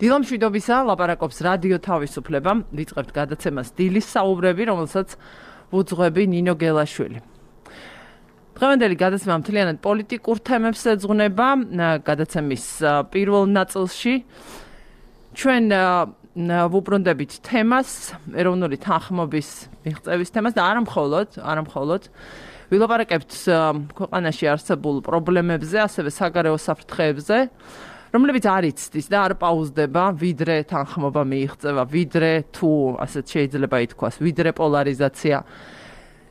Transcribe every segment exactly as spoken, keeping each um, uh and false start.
დილამშვიდობისა, ლაპარაკობს რადიო თავისუფლება, ვიწყებთ გადაცემას დილის საუბრები, რომელსაც ვუძღვები ნინო გელაშვილი. დღევანდელი გადაცემა მთლიანად პოლიტიკურ თემებს ეძღვნება, გადაცემის პირველ ნაწილში ჩვენ ვუბრუნდებით თემას, ეროვნული თანხმობის მიღწევის თემას და არა მხოლოდ, არა მხოლოდ ვილაპარაკებთ ქვეყანაში არსებულ პრობლემებზე, ასევე საგარეო საფრთხეებზე, რომლებიც არ იცდის და არ პაუზდება, ვიდრე თანხმობა მიიღწევა, ვიდრე თუ ასეთ შეიძლება ითქვას, ვიდრე პოლარიზაცია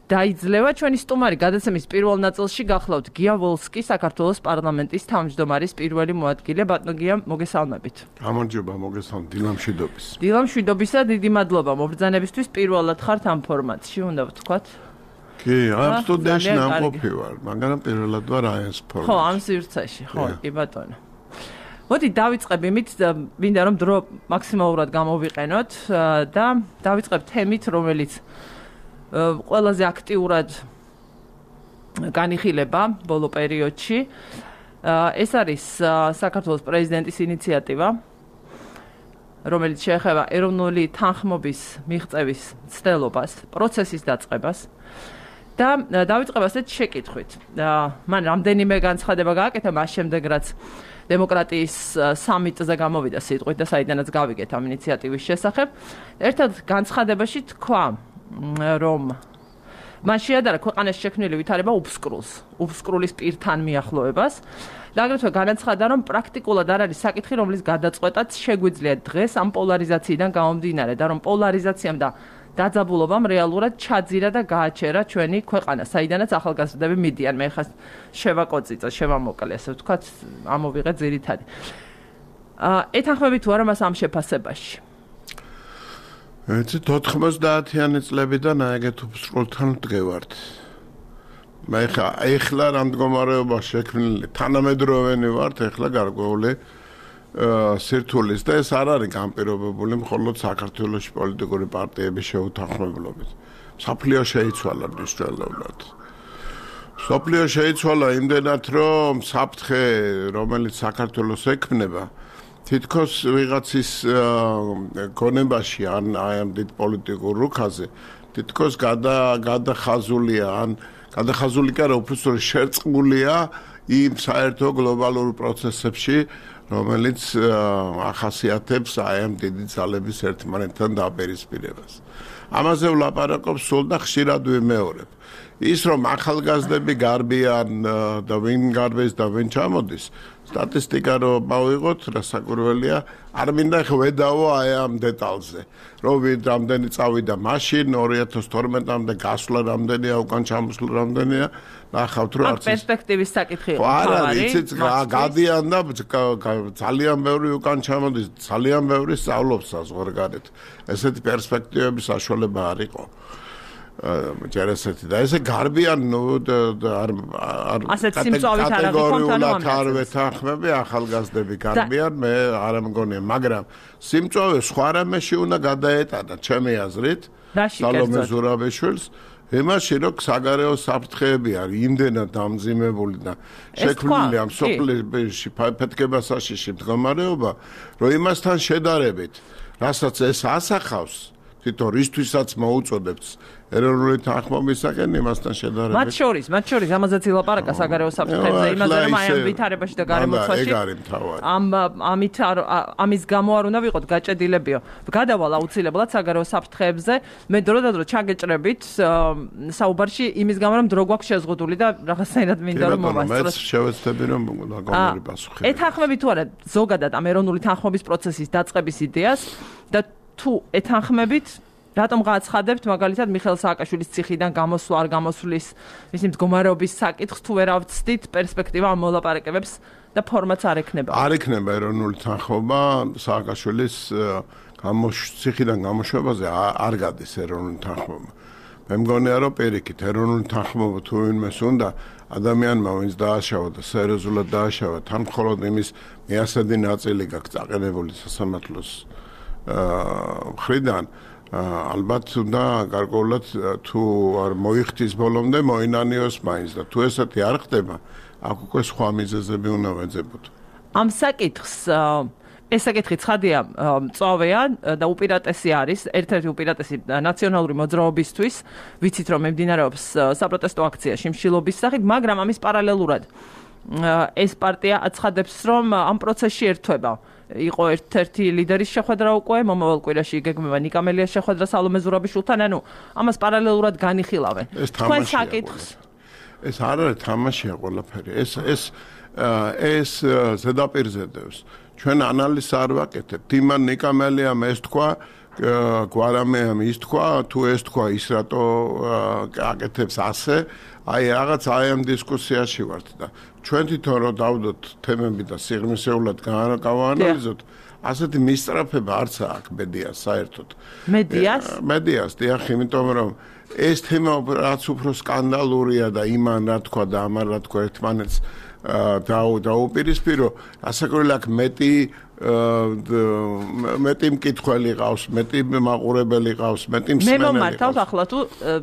დაიძლევა. ჩვენი სტუმარი გადაცემის პირველ ნაწილში გახლავთ გია ვოლსკი, საქართველოს პარლამენტის თავმჯდომარის პირველი მოადგილე. ბატონო გია, მოგესალმებით. გამარჯობა, მოგესალმებით. დილამშვიდობის. დილამშვიდობისა, დიდი მადლობა მობრძანებისთვის. პირველად ხართ ამ ფორმატში, უნდა ვთქვათ. კი, ამ სტუდიაში ნამყოფი ვარ, მაგრამ პირველად ვარ აი ეს ფორმატში. ხო, ამ სივრცეში, ხო, კი ბატონო. მოდი დავიწყებ იმით, მინდა რომ დრო მაქსიმალურად გამოვიყენოთ და დავიწყებ თემით, რომელიც ყველაზე აქტიურად განიხილება ბოლო პერიოდში. ეს არის საქართველოს პრეზიდენტის ინიციატივა, რომელიც შეეხება ეროვნული თანხმობის მიღწევის მცდელობას, პროცესის დაწყებას. და დავიწყებ ასეთ შეკითხვით. მან რამდენიმე განცხადება გააკეთა, მას შემდეგ რაც დემოკრატიის სამიტზე გამოვიდა სიტყვით და საიდანაც გავიგეთ ამ ინიციატივის შესახებ. ერთად განცხადებაში თქვა, რომ მან შეადარა ქვეყანაში შექმნილი ვითარება უფსკრულს, უფსკრულის პირთან მიახლოებას და აგრეთვე განაცხადა, რომ პრაქტიკულად არ არის საკითხი, რომლის გადაწყვეტაც შეგვიძლია დღეს ამ პოლარიზაციიდან გამომდინარე და რომ პოლარიზაციამ და დაძაბულობამ რეალურად ჩაძირა და გააჩერა ჩვენი ქვეყანა, საიდანაც ახალგაზრდები მიდიან. მე ხას შევაკოწიწა, შევამოკლე, ასე ვთქვათ, ამოვიღე ძირითადი. ეთანხმებით თუ არა მას ამ შეფასებაში? ეცით ოთხმოცდაათიანი წლებიდან აიგეთ უფსკრულთან ვდგევართ. მე ხა ეხლა რა მდგომარეობა შექმნილი, თანამედროვენი ვართ, ეხლა გარკვეული სირთულის და ეს არ არის განპირობებული მხოლოდ საქართველოს პოლიტიკური პარტიების შეუთანხმებლობით. მსოფლიო შეიცვალა მნიშვნელოვნად. მსოფლიო შეიცვალა იმდენად, რომ საფრთხე, რომელიც საქართველოს ექმნება, თითქოს ვიღაცის გონებაში ან აი ამ დიდ პოლიტიკურ რუქაზე თითქოს გადახაზულია ან გადახაზული კი არა, უბრალოდ შერწყმულია იმ საერთო გლობალურ პროცესებში, რომელიც ახასიათებს აი ამ დიდი ძალების ერთმანეთთან დაპირისპირებას. ამაზე ვლაპარაკობ სულ და ხშირად ვიმეორებ. ის რომ ახალგაზრდები გარბიან და ვინ გარბეს და ვინ ჩამოდის, სტატისტიკა რო მოვიღოთ, რასაკვირველია, არ მინდა ხვედავო აი ამ დეტალზე. რომ ვინ რამდენი წავიდა მაშინ ორი ათას თორმეტამდე გასვლა რამდენია, უკან ჩამოსვლა რამდენია, ნახავთ რომ არც პერსპექტივის საკითხი იყო. არ არის, იცით, გადიან და ძალიან ბევრი უკან ჩამოდის, ძალიან ბევრი სწავლობს საზღვარგარეთ. ესეთი პერსპექტივების საშუალება არ იყო. ჯერ ესეთი და ესე გარბიან ნუ არ ასეთ სიმწვავით არ აღიქონთანო არ ვეთანხმები, ახალგაზრდები გარბიან, მე არ მგონია, მაგრამ სიმწვავე სხვა რამეში უნდა გადაეტანა, ჩემი აზრით, სალომე ზურაბიშვილს, იმაში რომ საგარეო საფრთხეები არის იმდენად დამძიმებული და შექმნილი ამ სოფლებში ფეთქებასაშიში მდგომარეობა, რომ იმასთან შედარებით, რასაც ეს ასახავს, თვითონ რისთვისაც მოუწოდებთ ეროვნული თანხმობისაკენ იმასთან შედარებით. მათ შორის, მათ შორის ამაზეც ილაპარაკა საგარეო საფრთხეებზე, იმაზე რომ აი ამ ვითარებაში და გარემოცვაში ამ ამით ამის გამო არ უნდა ვიყოთ გაჭედილებიო. გადავალ აუცილებლად საგარეო საფრთხეებზე, მე დროდადრო ჩაგეჭრებით საუბარში იმის გამო რომ დრო გვაქვს შეზღუდული და რაღაცნაირად მინდა რომ მოვასწროთ. მეც შევეცდები რომ გაგონები პასუხი. ეთანხმებით თუ არა ზოგადად ამ ეროვნული თანხმობის პროცესის დაწყების იდეას და თუ ეთანხმებით, რატომ გააცხადებთ მაგალითად მიხეილ სააკაშვილის ციხიდან გამოსვლა არ გამოსვლის ისინი მდგომარეობის საკითხს თუ ვერ ავწდით პერსპექტივა ამ მოლაპარაკებებს და ფორმატს არ ექნება? არ ექნება ეროვნული თანხმობა სააკაშვილის ციხიდან გამოშვებაზე არ გადის ეროვნული თანხმობა. მე მგონია რომ პირიქით ეროვნული თანხმობა თუ ვინმეს უნდა ადამიანმა ვინც დააშავა და სერიოზულად დააშავა თან მხოლოდ იმის მეასადი ნაწილი გაქვს წაყენებული სასამართლოს მხრიდან ალბათ უნდა გარკვეულად თუ არ მოიხდის ბოლომდე მოინანიოს მაინც და თუ ესეთი არ ხდება აქ უკვე სხვა მიზეზები უნდა ვეძებოთ. ამ საკითხს ეს საკითხი ცხადია მწვავეა და უპირატესი არის ერთ-ერთი უპირატესი ნაციონალური მოძრაობისთვის ვიცით რომ მიმდინარეობს საპროტესტო აქცია შიმშილობის სახით მაგრამ ამის პარალელურად ეს პარტია აცხადებს რომ ამ პროცესში ერთვება იყო ერთ-ერთი ლიდერის შეხვედრა უკვე მომავალ კვირაში იგეგმება ნიკამელიას შეხვედრა სალომე ზურაბიშვილთან ანუ ამას პარალელურად განიხილავენ თქვენ საკითხს ეს არ არის თამაშია ყველაფერი ეს ეს ეს ზედაპირზე დევს ჩვენ ანალიზს არ ვაკეთებთ იმან ნიკამელიამ ეს თქვა გვარამეამ ის თქვა თუ ეს თქვა ის რატო აკეთებს ასე აი რაღაც აი ამ დისკუსიაში ვართ და ჩვენ თვითონ რო დავდოთ თემები და სიღრმისეულად გავაანალიზოთ ასეთი მისწრაფება არც აქვს მედიას საერთოდ მედიას მედიას დიახ იმიტომ რომ ეს თემა რაც უფრო სკანდალურია და იმან რა თქვა და ამან რა თქვა ერთმანეთს და დაუპირისპირო ასაკურელი აქ მეტი მეტი მკითხველი ყავს მეტი მაყურებელი ყავს მეტი მსმენელი მე მომართავთ ახლა თუ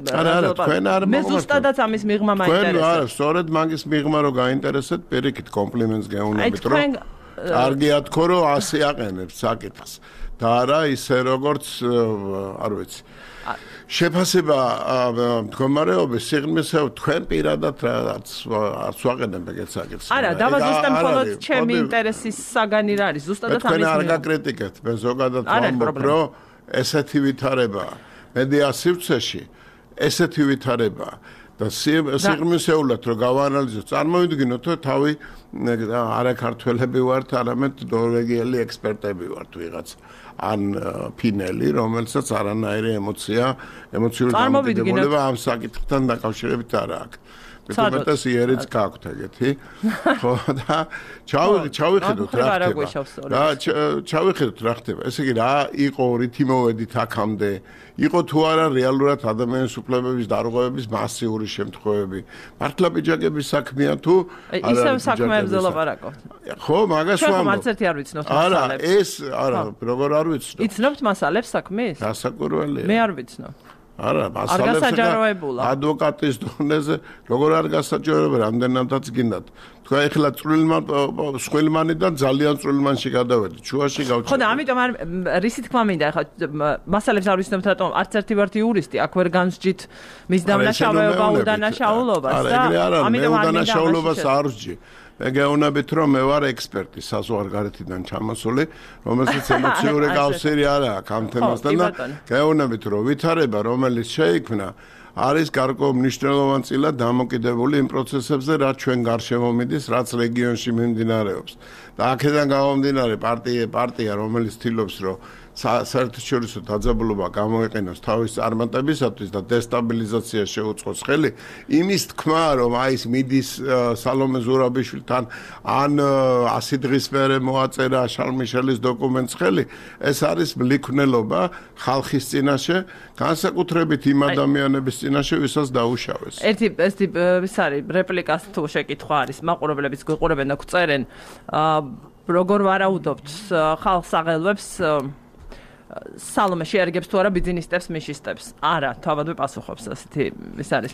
არა არა თქვენ არ მე ზუსტადაც ამის მიღმა მაინტერესებს თქვენ არა სწორედ მაგის მიღმა რო გაინტერესეთ პირიქით კომპლიმენტს გეუნებით რომ კარგია თქო რომ ასე აყენებს საკითხს და არა ისე როგორც არ ვიცი შეფასება მდგომარეობის სიღრმისეულ თქვენ პირადად რაც არც ვაყენებ ეგეთ საკითხს. არა, დავაზუსტებ მხოლოდ ჩემი ინტერესის საგანი რა არის, ზუსტადად ამის. თქვენ არ გაკრიტიკეთ, მე ზოგადად ვამბობ, რომ ესეთი ვითარება მედიას სივრცეში, ესეთი ვითარება და სიღრმისეულად რო გავაანალიზოთ, წარმოვიდგინოთ, რომ თავი არა ქართველები ვართ, არამედ ნორვეგიელი ექსპერტები ვართ ვიღაც. ან ფინელი, რომელსაც არანაირი ემოცია, ემოციური დამოკიდებულება ამ საკითხთან დაკავშირებით არ აქვს. მეტყვეთეს იერიც გაქვთ ეგეთი. ხო და ჩავიხედოთ რა ხდება. რა ჩავიხედოთ რა ხდება. ესე იგი რა იყო რითი მოვედით აქამდე? იყო თუ არა რეალურად ადამიანის უფლებების დარღვევების მასიური შემთხვევები. მართლა პიჯაკების საქმეა თუ არა? ისევ საქმეებზე ლაპარაკობთ. ხო, მაგას ვამბობ. ხო, მარც ერთი არ ვიცნობთ მასალებს. არა, ეს არა, როგორ არ ვიცნობ. იცნობთ მასალებს საქმის? გასაკვირველია. მე არ ვიცნობ. არა, მასალებს ადვოკატის დონეზე როგორ არ გასაჯაროება, რამდენადაც გინდათ. თქვენ ეხლა წვრილმან სხვილმანიდან ძალიან წვრილმანში გადავედით, შუაში გავჩერდით. ხო და ამიტომ არ რისი თქმა მინდა, ეხლა მასალებს არ ვიცნობთ რატომ არც ერთი ვართ იურისტი, აქ ვერ განსჯით მის დამნაშავეობა უდანაშაულობას და ამიტომ არ უდანაშაულობას არ ვსჯი. მე გეუბნებით რომ მე ვარ ექსპერტი საზღვარგარეთიდან ჩამოსული, რომელსაც ემოციური კავშირი არ აქვს ამ თემასთან და გეუბნებით რომ ვითარება რომელიც შეიქმნა არის გარკვეულ მნიშვნელოვანწილად დამოკიდებული იმ პროცესებზე, რაც ჩვენ გარშემო მიდის, რაც რეგიონში მიმდინარეობს. და აქედან გამომდინარე პარტია პარტია რომელიც ცდილობს რომ საერთაშორისო დაძაბულობა გამოიყენოს თავის წარმატებისათვის და დესტაბილიზაცია შეუწყოს ხელი, იმის თქმა რომ აი ეს მიდის სალომე ზურაბიშვილთან ან ასი დღის მერე მოაწერა შარლ-მიშელის დოკუმენტს ხელი, ეს არის მლიქვნელობა ხალხის წინაშე, განსაკუთრებით იმ ადამიანების წინაშე, ვისაც დაუშავეს. ერთი ეს ის არის რეპლიკას თუ შეკითხვა არის, მაყურებლებიც გვიყურებენ და გვწერენ, როგორ ვარაუდობთ ხალხს აღელვებს სალომე შეარგებს თუ არა ბიზნესტებს მიშისტებს. არა, თავად ვიპასუხობს ასეთი ის არის.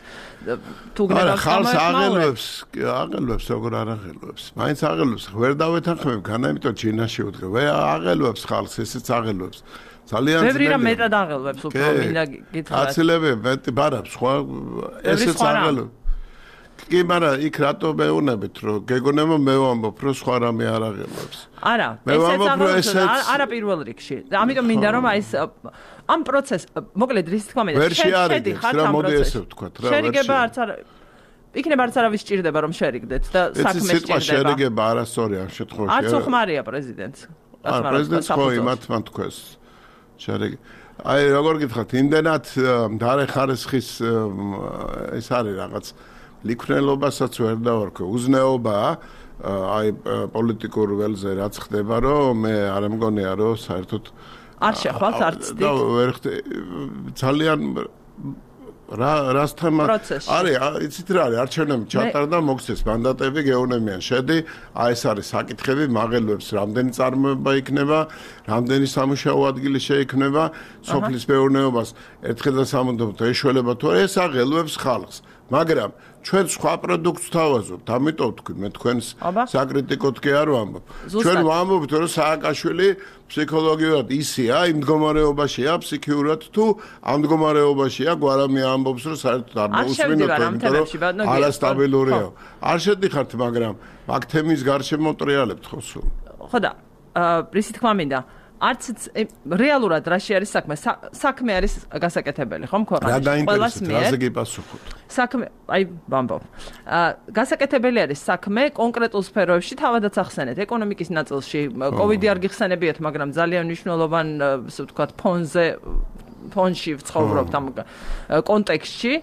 თუ გნებავთ ხალხს აღელვებს, აღელვებს როგორ არ აღელვებს. მაინც აღელვებს, ვერ დავეთანხმებ განა, იმიტომ ჩინაში ვდგე. ვე აღელვებს ხალხს, ესეც აღელვებს. ძალიან ძნელია. ბევრი რამ მეტად აღელვებს უფრო მინდა გითხრათ. აცილები მეტი ბარა, სხვა ესეც აღელვებს. კი, მაგრამ იქ რატო მეუნებით, რომ გეგონება მე ვამბობ, რომ სხვა რამე არ აღელვებს. არა, ესეც არა პირველ რიგში. ამიტომ მინდა რომ აი ეს ამ პროცესს, მოკლედ რის თქმა მინდა, შედი ხარ ამ პროცესში. შერიგება არც არა იქნება არც არავის სჭირდება რომ შერიგდეთ და საქმე სჭირდება. ეს შერიგება არასწორი ამ შემთხვევაში. არც უხმარია პრეზიდენტს. არა, პრეზიდენტს ხო იმათ მან თქვეს. შერიგი. აი როგორ გითხრათ, იმდენად დარე ხარისხის ეს არის რაღაც ლიქვნელობასაც ვერ დავარქვე. უზნეობაა აი პოლიტიკურ ველზე რაც ხდება, რომ მე არ მგონია რომ საერთოდ არ შეხვალთ არც და ვერ ძალიან რა რასთან არის იცით რა არის არჩევნები ჩატარდა მოგცეს მანდატები გეუნებიან შედი აი ეს არის საკითხები მაღელვებს რამდენი წარმოება იქნება რამდენი სამუშაო ადგილი შეიქმნება სოფლის მეურნეობას ერთხელ და სამუდამოდ ეშველება თუ ეს აღელვებს ხალხს მაგრამ ჩვენ სხვა პროდუქტს თავაზობთ, ამიტომ თქვი მე თქვენს საკრიტიკოდ კი არ ვამბობ. ჩვენ ვამბობთ, რომ სააკაშვილი ფსიქოლოგიურად ისეა, იმ მდგომარეობაშია, ფსიქიურად თუ ამ მდგომარეობაშია, გვარამი ამბობს, რომ საერთოდ არ მოусმინოთ, იმიტომ რომ არასტაბილურია. არ შედიხართ, მაგრამ მაგ თემის გარშემო ტრიალებთ ხო სულ. ხო და რისი თქმა მინდა არც რეალურად რაში არის საქმე საქმე არის გასაკეთებელი ხომ ქვეყანაში ყველას მიერ რაზე გიპასუხოთ საქმე აი ბამბო გასაკეთებელი არის საქმე კონკრეტულ სფეროებში თავადაც ახსენეთ ეკონომიკის ნაწილში კოვიდი არ გიხსენებიათ მაგრამ ძალიან მნიშვნელოვან ასე ვთქვათ ფონზე ფონში ვცხოვრობთ ამ კონტექსტში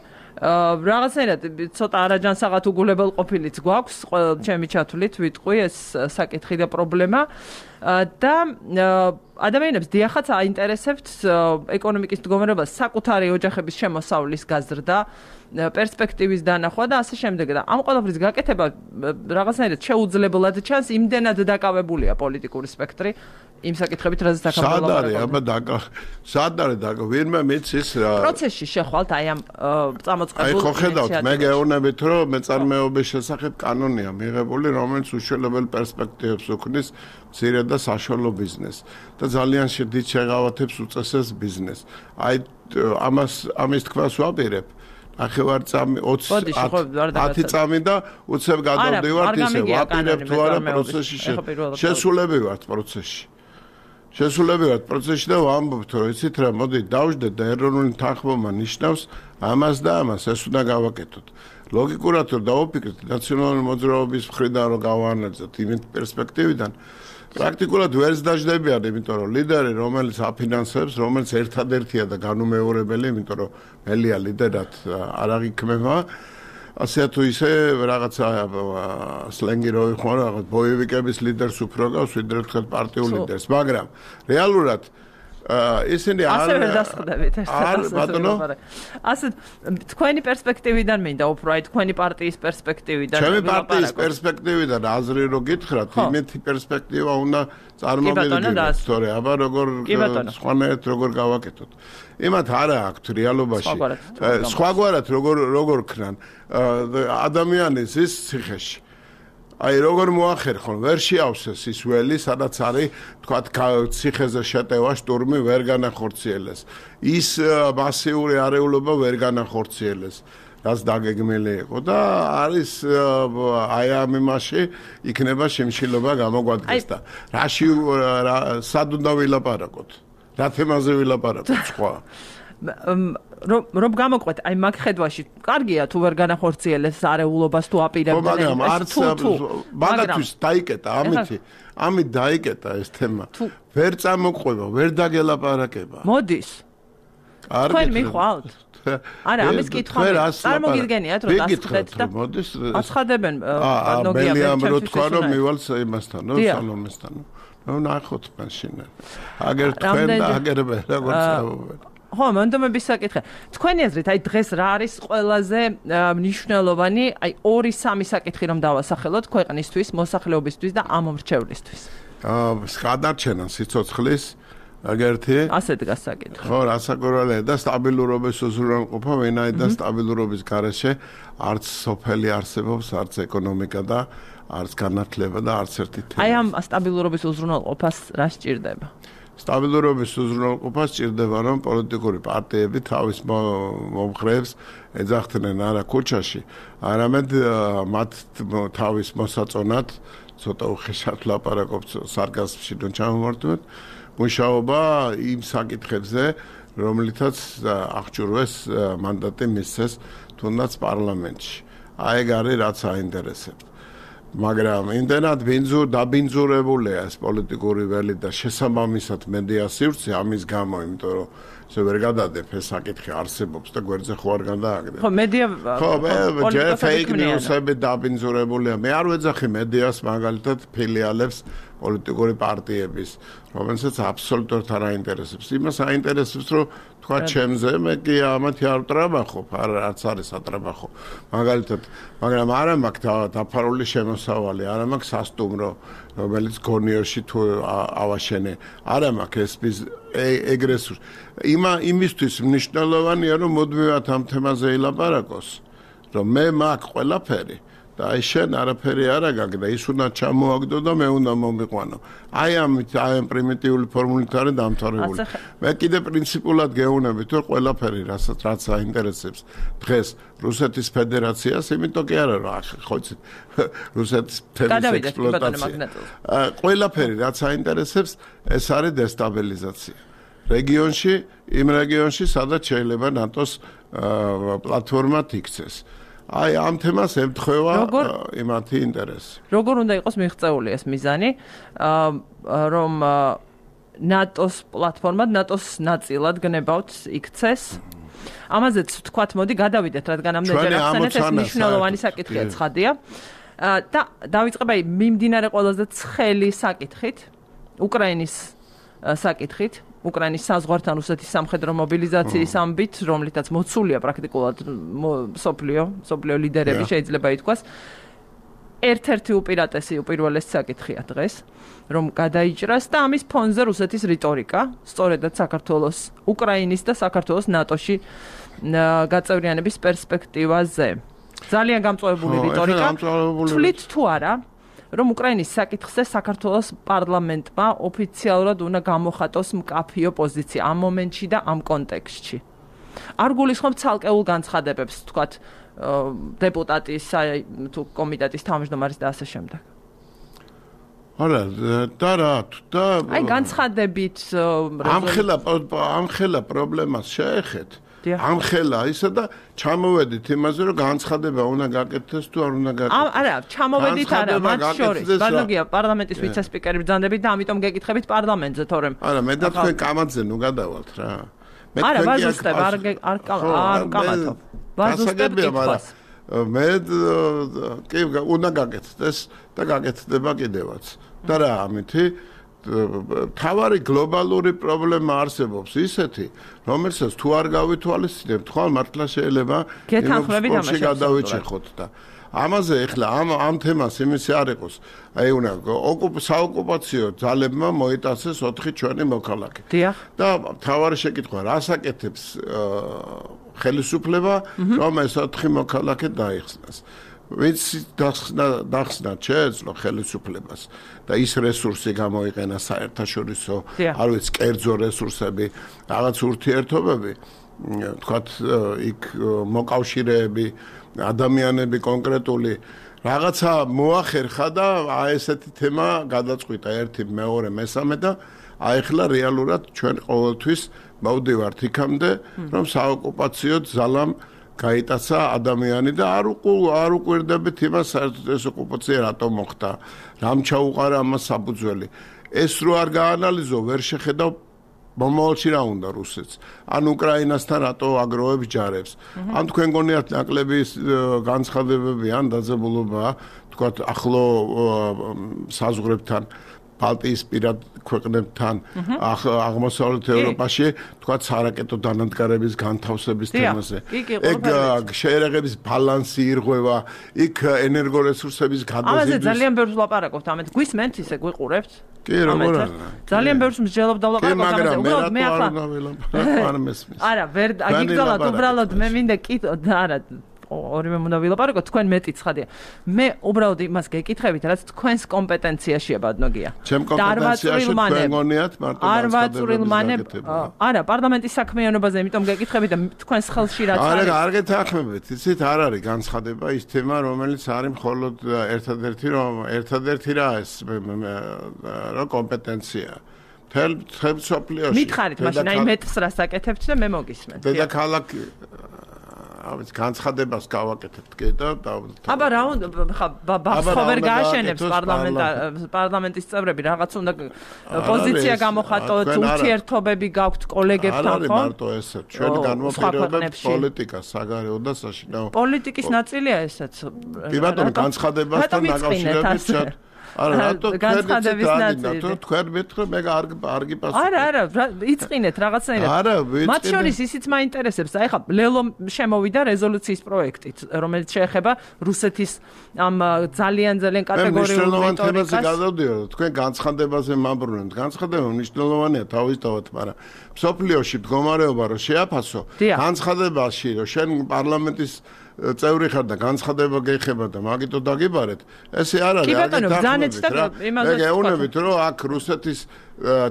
რაღაცნაირად ცოტა არაჯანსაღად უგულებელ ყოფილიც გვაქვს ჩემი ჩათვლით ვიტყვი ეს საკითხი და პრობლემა და ადამიანებს დიახაც აინტერესებთ ეკონომიკის მდგომარეობა საკუთარი ოჯახების შემოსავლის გაზრდა პერსპექტივის დანახვა და ასე შემდეგ და ამ ყველაფრის გაკეთება რაღაცნაირად შეუძლებლად ჩანს იმდენად დაკავებულია პოლიტიკური სპექტრი იმ საკითხებით რაზეც აქამდე ლაპარაკობთ. სად არის აბა დაკა სად არის დაკა ვინმე მიცის რა პროცესში შეხვალთ აი ამ წამოწყებულ აი ხო ხედავთ მე გეუბნებით რომ მეწარმეობის შესახებ კანონია მიღებული რომელიც უშუალო პერსპექტივებს უქმნის მცირე და საშუალო ბიზნესს და ძალიან დიდ შეღავათებს უწესებს ბიზნესს. აი ამას ამის თქმას ვაპირებ ახევარწამი ოცი ათი წამი და უცებ გადავდივართ ისე ვაპირებ თუ არა პროცესში შესულები ვართ პროცესში შესულები ვართ პროცესში და ვამბობთ რომ იცით რა მოდი დავждეთ და ეროვნული თანხმობა ნიშნავს ამას და ამას ეს უნდა გავაკეთოთ ლოგიკურად რომ დავუფიქრეთ ნაციონალური მოძრაობის მხრიდან რომ გავაანალიზოთ იმ პერსპექტივიდან პრაქტიკულად ვერც დაждებიან იმიტომ რომ ლიდერი რომელიც აფინანსებს რომელიც ერთადერთია და განუმეორებელი იმიტომ რომ მელია ლიდერად არ აღიქმება ასე თუ ისე რაღაცა სლენგი რო იყო რაღაც ბოევიკების ლიდერს უფრო გავს ვიდრე თქვენ პარტიულ ლიდერს მაგრამ რეალურად ისინი არ ასე ვერ დასხდებით არ ბატონო ასე თქვენი პერსპექტივიდან მინდა უფრო აი თქვენი პარტიის პერსპექტივიდან ჩემი პარტიის პერსპექტივიდან აზრი რო გითხრათ იმეთი პერსპექტივა უნდა წარმოვიდგინოთ თორე აბა როგორ სხვანაირად როგორ გავაკეთოთ იმათ არა აქვთ რეალობაში სხვაგვარად როგორ როგორ ქნან ადამიანის ის ციხეში აი როგორ მოახერხონ ვერ შეავსეს ის ველი სადაც არის თქვათ ციხეზე შეტევა შტურმი ვერ განახორციელეს ის მასიური არეულობა ვერ განახორციელეს რაც დაგეგმილი იყო და არის აი ამ იმაში იქნება შემშილობა გამოგვადგეს და რაში სად უნდა ვილაპარაკოთ რა თემაზე ვილაპარაკოთ სხვა რომ რომ გამოყვეთ აი მაგ ხედვაში კარგია თუ ვერ განახორციელეს არეულობას თუ აპირებდნენ მაგრამ არც მაგათვის დაიკეტა ამითი ამით დაიკეტა ეს თემა ვერ წამოყვება ვერ დაგელაპარაკება მოდის თქვენ მიხვალთ არა ამის კითხვა წარმოგიდგენიათ რომ დასწრეთ და მოდის აცხადებენ ნოგია ბერჩემ რო თქვა რომ მივალ იმასთან ნო სალომესთან ნო ნახოთ მაშინ აგერ თქვენ და აგერ მე როგორც წავობენ ხო, მონდომების საკითხი. თქვენი აზრით, აი დღეს რა არის ყველაზე მნიშვნელოვანი, აი ორი სამი საკითხი რომ დავასახელოთ ქვეყნისთვის, მოსახლეობისთვის და ამომრჩევლისთვის. აა, გადარჩენა სიცოცხლის აგერთი. ასე დგას საკითხი. ხო, რასაკვირველია და სტაბილურობის უზრუნველყოფა, ვინაიდან სტაბილურობის გარეშე არც სოფელი არსებობს, არც ეკონომიკა და არც განათლება და არც ერთი თემა. აი ამ სტაბილურობის უზრუნველყოფას რა სჭირდება? სტაბილურობის უზრუნველყოფას სჭირდება რომ პოლიტიკური პარტიები თავის მომხრეებს ეძახდნენ არა ქუჩაში, არამედ მათ თავის მოსაწონად ცოტა უხეშად ლაპარაკობთ სარკაზმში რომ ჩამოვარდნოთ მუშაობა იმ საკითხებზე, რომლითაც აღჭურვეს მანდატი მისცეს თუნდაც პარლამენტში. აი ეგ არის რაც აინტერესებს. მაგრამ იმდენად ბინძურ დაბინძურებულია ეს პოლიტიკური ველი და შესაბამისად მედია სივრცე ამის გამო, იმიტომ რომ ესე ვერ გადადებ ეს საკითხი არსებობს და გვერდზე ხო არ გადააგდებ. ხო, მედია ხო, მე ფეიქ ნიუსები დაბინძურებულია. მე არ ვეძახი მედიას მაგალითად ფილიალებს პოლიტიკური პარტიების, რომელსაც აბსოლუტურად არ აინტერესებს. იმას აინტერესებს, რომ თქვა ჩემზე, მე კი ამათი არ ვტრაბახობ, არც არის ატრაბახო. მაგალითად, მაგრამ არა მაქვს დაფარული შემოსავალი, არა მაქვს სასტუმრო, რომელიც გონიერში თუ ავაშენე. არა მაქვს ეს ეგრესურს. იმა იმისთვის მნიშვნელოვანია, რომ მუდმივად ამ თემაზე ილაპარაკოს. რომ მე მაქვს ყველაფერი და აი შენ არაფერი არ აგაგ და ის უნდა ჩამოაგდო და მე უნდა მომიყვანო. აი ამით აი ამ პრიმიტიული ფორმულით არის დამთავრებული. მე კიდე პრინციპულად გეუბნებით რომ ყველაფერი რასაც რაც აინტერესებს დღეს რუსეთის ფედერაციას, იმიტომ კი არა რა ხო იცით რუსეთის ფედერაციის ექსპლუატაცია. ყველაფერი რაც აინტერესებს ეს არის დესტაბილიზაცია. რეგიონში, იმ რეგიონში, სადაც შეიძლება ნატოს პლატფორმად იქცეს. აი ამ თემას ემთხვევა იმათი ინტერესი. როგორ უნდა იყოს მიღწეული ეს მიზანი, რომ ნატოს პლატფორმად, ნატოს ნაწილად გნებავთ იქცეს? ამაზეც თქვათ, მოდი გადავიდეთ, რადგან ამდენჯერ ახსენეთ, ეს მნიშვნელოვანი საკითხია, ცხადია. და დავიწყებ აი მიმდინარე ყველაზე ცხელი საკითხით, უკრაინის საკითხით. უკრაინის საზღვართან რუსეთის სამხედრო მობილიზაციის ამბით, რომლითაც მოცულია პრაქტიკულად სოფლიო, სოფლიო ლიდერები შეიძლება ითქვას. ერთ-ერთი უპირატესი უპირველესი საკითხია დღეს, რომ გადაიჭრას და ამის ფონზე რუსეთის რიტორიკა, სწორედაც საქართველოს, უკრაინის და საქართველოს ნატოში გაწევრიანების პერსპექტივაზე. ძალიან გამწვავებული რიტორიკა. თვლით თუ არა, რომ უკრაინის საკითხზე საქართველოს პარლამენტმა ოფიციალურად უნდა გამოხატოს მკაფიო პოზიცია ამ მომენტში და ამ კონტექსტში. არ გულისხმობ ცალკეულ განცხადებებს, თქვათ, დეპუტატის თუ კომიტეტის თავმჯდომარის და ასე შემდეგ. არა, და რა, და აი განცხადებით ამხელა ამხელა პრობლემას შეეხეთ. ამხელა ისა და ჩამოვედით იმაზე რომ განცხადება უნდა გაკეთდეს თუ არ უნდა გაკეთდეს. არა, ჩამოვედით არა, მათ შორის. ბანოგია პარლამენტის ვიცე-სპიკერი ბრძანდებით და ამიტომ გეკითხებით პარლამენტზე, თორემ. არა, მე და თქვენ კამათზე ნუ გადავალთ რა. მე არა, ვაზუსტებ, არ არ არ კამათობ. ვაზუსტებ კითხვას. მე კი უნდა გაკეთდეს და გაკეთდება კიდევაც. და რა ამითი თავარი გლობალური პრობლემა არსებობს ისეთი, რომელსაც თუ არ გავითვალისწინებთ, ხვალ მართლა შეიძლება იმაში გადავიჭეხოთ და ამაზე ეხლა ამ ამ თემას იმისი არ იყოს. აი უნდა საოკუპაციო ძალებმა მოიტანეს ოთხი ჩვენი მოქალაქე. და თავარი შეკითხვა, რას აკეთებს ხელისუფლება, რომ ეს ოთხი მოქალაქე დაიხსნას. ვინც დახსნა შეეძლო ხელისუფლებას და ის რესურსი გამოიყენა საერთაშორისო, არ ვიცი, კერძო რესურსები, რაღაც ურთიერთობები, თქვათ, იქ მოკავშირეები, ადამიანები კონკრეტული რაღაცა მოახერხა და აი ესეთი თემა გადაწყვიტა ერთი, მეორე, მესამე და აი ახლა რეალურად ჩვენ ყოველთვის მოვდივართ იქამდე, რომ საოკუპაციო ძალამ გაიტაცა ადამიანი და არ უყუ არ უყვირდებით იმას საერთოდ ეს ოკუპაცია რატომ მოხდა, რამ ჩაუყარა ამას საფუძველი. ეს რო არ გაანალიზო, ვერ შეხედავ მომავალში რა უნდა რუსეთს. ან უკრაინასთან რატო აგროვებს ჯარებს. ან თქვენ გონიათ ნაკლები განცხადებები ან დაძაბულობა, თქვათ ახლო საზღვრებთან ბალტიის პირად ქვეყნებთან აღმოსავლეთ ევროპაში თქვა სარაკეტო დანადგარების განთავსების თემაზე. ეგ შეერაღების ბალანსი ირღვევა, იქ ენერგორესურსების გადაზიდვის. ამაზე ძალიან ბევრს ვლაპარაკობთ, ამეთ გვისმენთ ისე გვიყურებთ? კი, როგორ არა. ძალიან ბევრს მსჯელობ და ვლაპარაკობთ ამაზე. უბრალოდ მე ახლა არ მესმის. არა, ვერ აგიგზავნოთ, უბრალოდ მე მინდა კითხო, არა ორივე უნდა ვილაპარაკოთ, თქვენ მეტი ცხადია. მე უბრალოდ იმას გეკითხებით, რაც თქვენს კომპეტენციაშია, ბადნოგია. ჩემ კომპეტენციაში თქვენ გონიათ მარტო განცხადებები. არა, პარლამენტის საქმიანობაზე, იმიტომ გეკითხებით და თქვენს ხელში რაც არის. არა, არ გეთანხმებით, იცით, არ არის განცხადება ის თემა, რომელიც არის მხოლოდ ერთადერთი, რომ ერთადერთი რა ეს რა კომპეტენცია. თელ თელ სოფლიოში. მითხარით, მაშინ აი მეტს რას აკეთებთ და მე მოგისმენთ. დედაქალაქი ამის განცხადებას გავაკეთებთ კი და აბა რა უნდა ხა ბახო ვერ გააშენებს პარლამენტის წევრები რაღაც უნდა პოზიცია გამოხატოთ, ურთიერთობები გაქვთ კოლეგებთან, ხო? არ არის მარტო ესე, ჩვენ განმოპირებებთ პოლიტიკას, საგარეო და საშინაო. პოლიტიკის ნაწილია ესეც. კი ბატონო, განცხადებასთან დაკავშირებით არა, რატო განცხადების ნაწილი. თქვენ მეთქრე მე არ არ გიპასუხებ. არა, არა, იწყინეთ რაღაცნაირად. არა, ვიწყინე. მათ შორის ისიც მაინტერესებს. აი ხა ლელო შემოვიდა რეზოლუციის პროექტით, რომელიც შეეხება რუსეთის ამ ძალიან ძალიან კატეგორიულ რიტორიკას. მე გადავდივარ, თქვენ განცხადებაზე მაბრუნებთ. განცხადება მნიშვნელოვანია თავისთავად, მაგრამ სოფლიოში მდგომარეობა რომ შეაფასო, განცხადებაში რომ შენ პარლამენტის წევრი ხარ და განცხადება გეხება და მაგითო დაგიბარეთ, ესე არ არის. კი ბატონო, ბრძანეთ და იმაზეც მე გეუბნებით, რომ აქ რუსეთის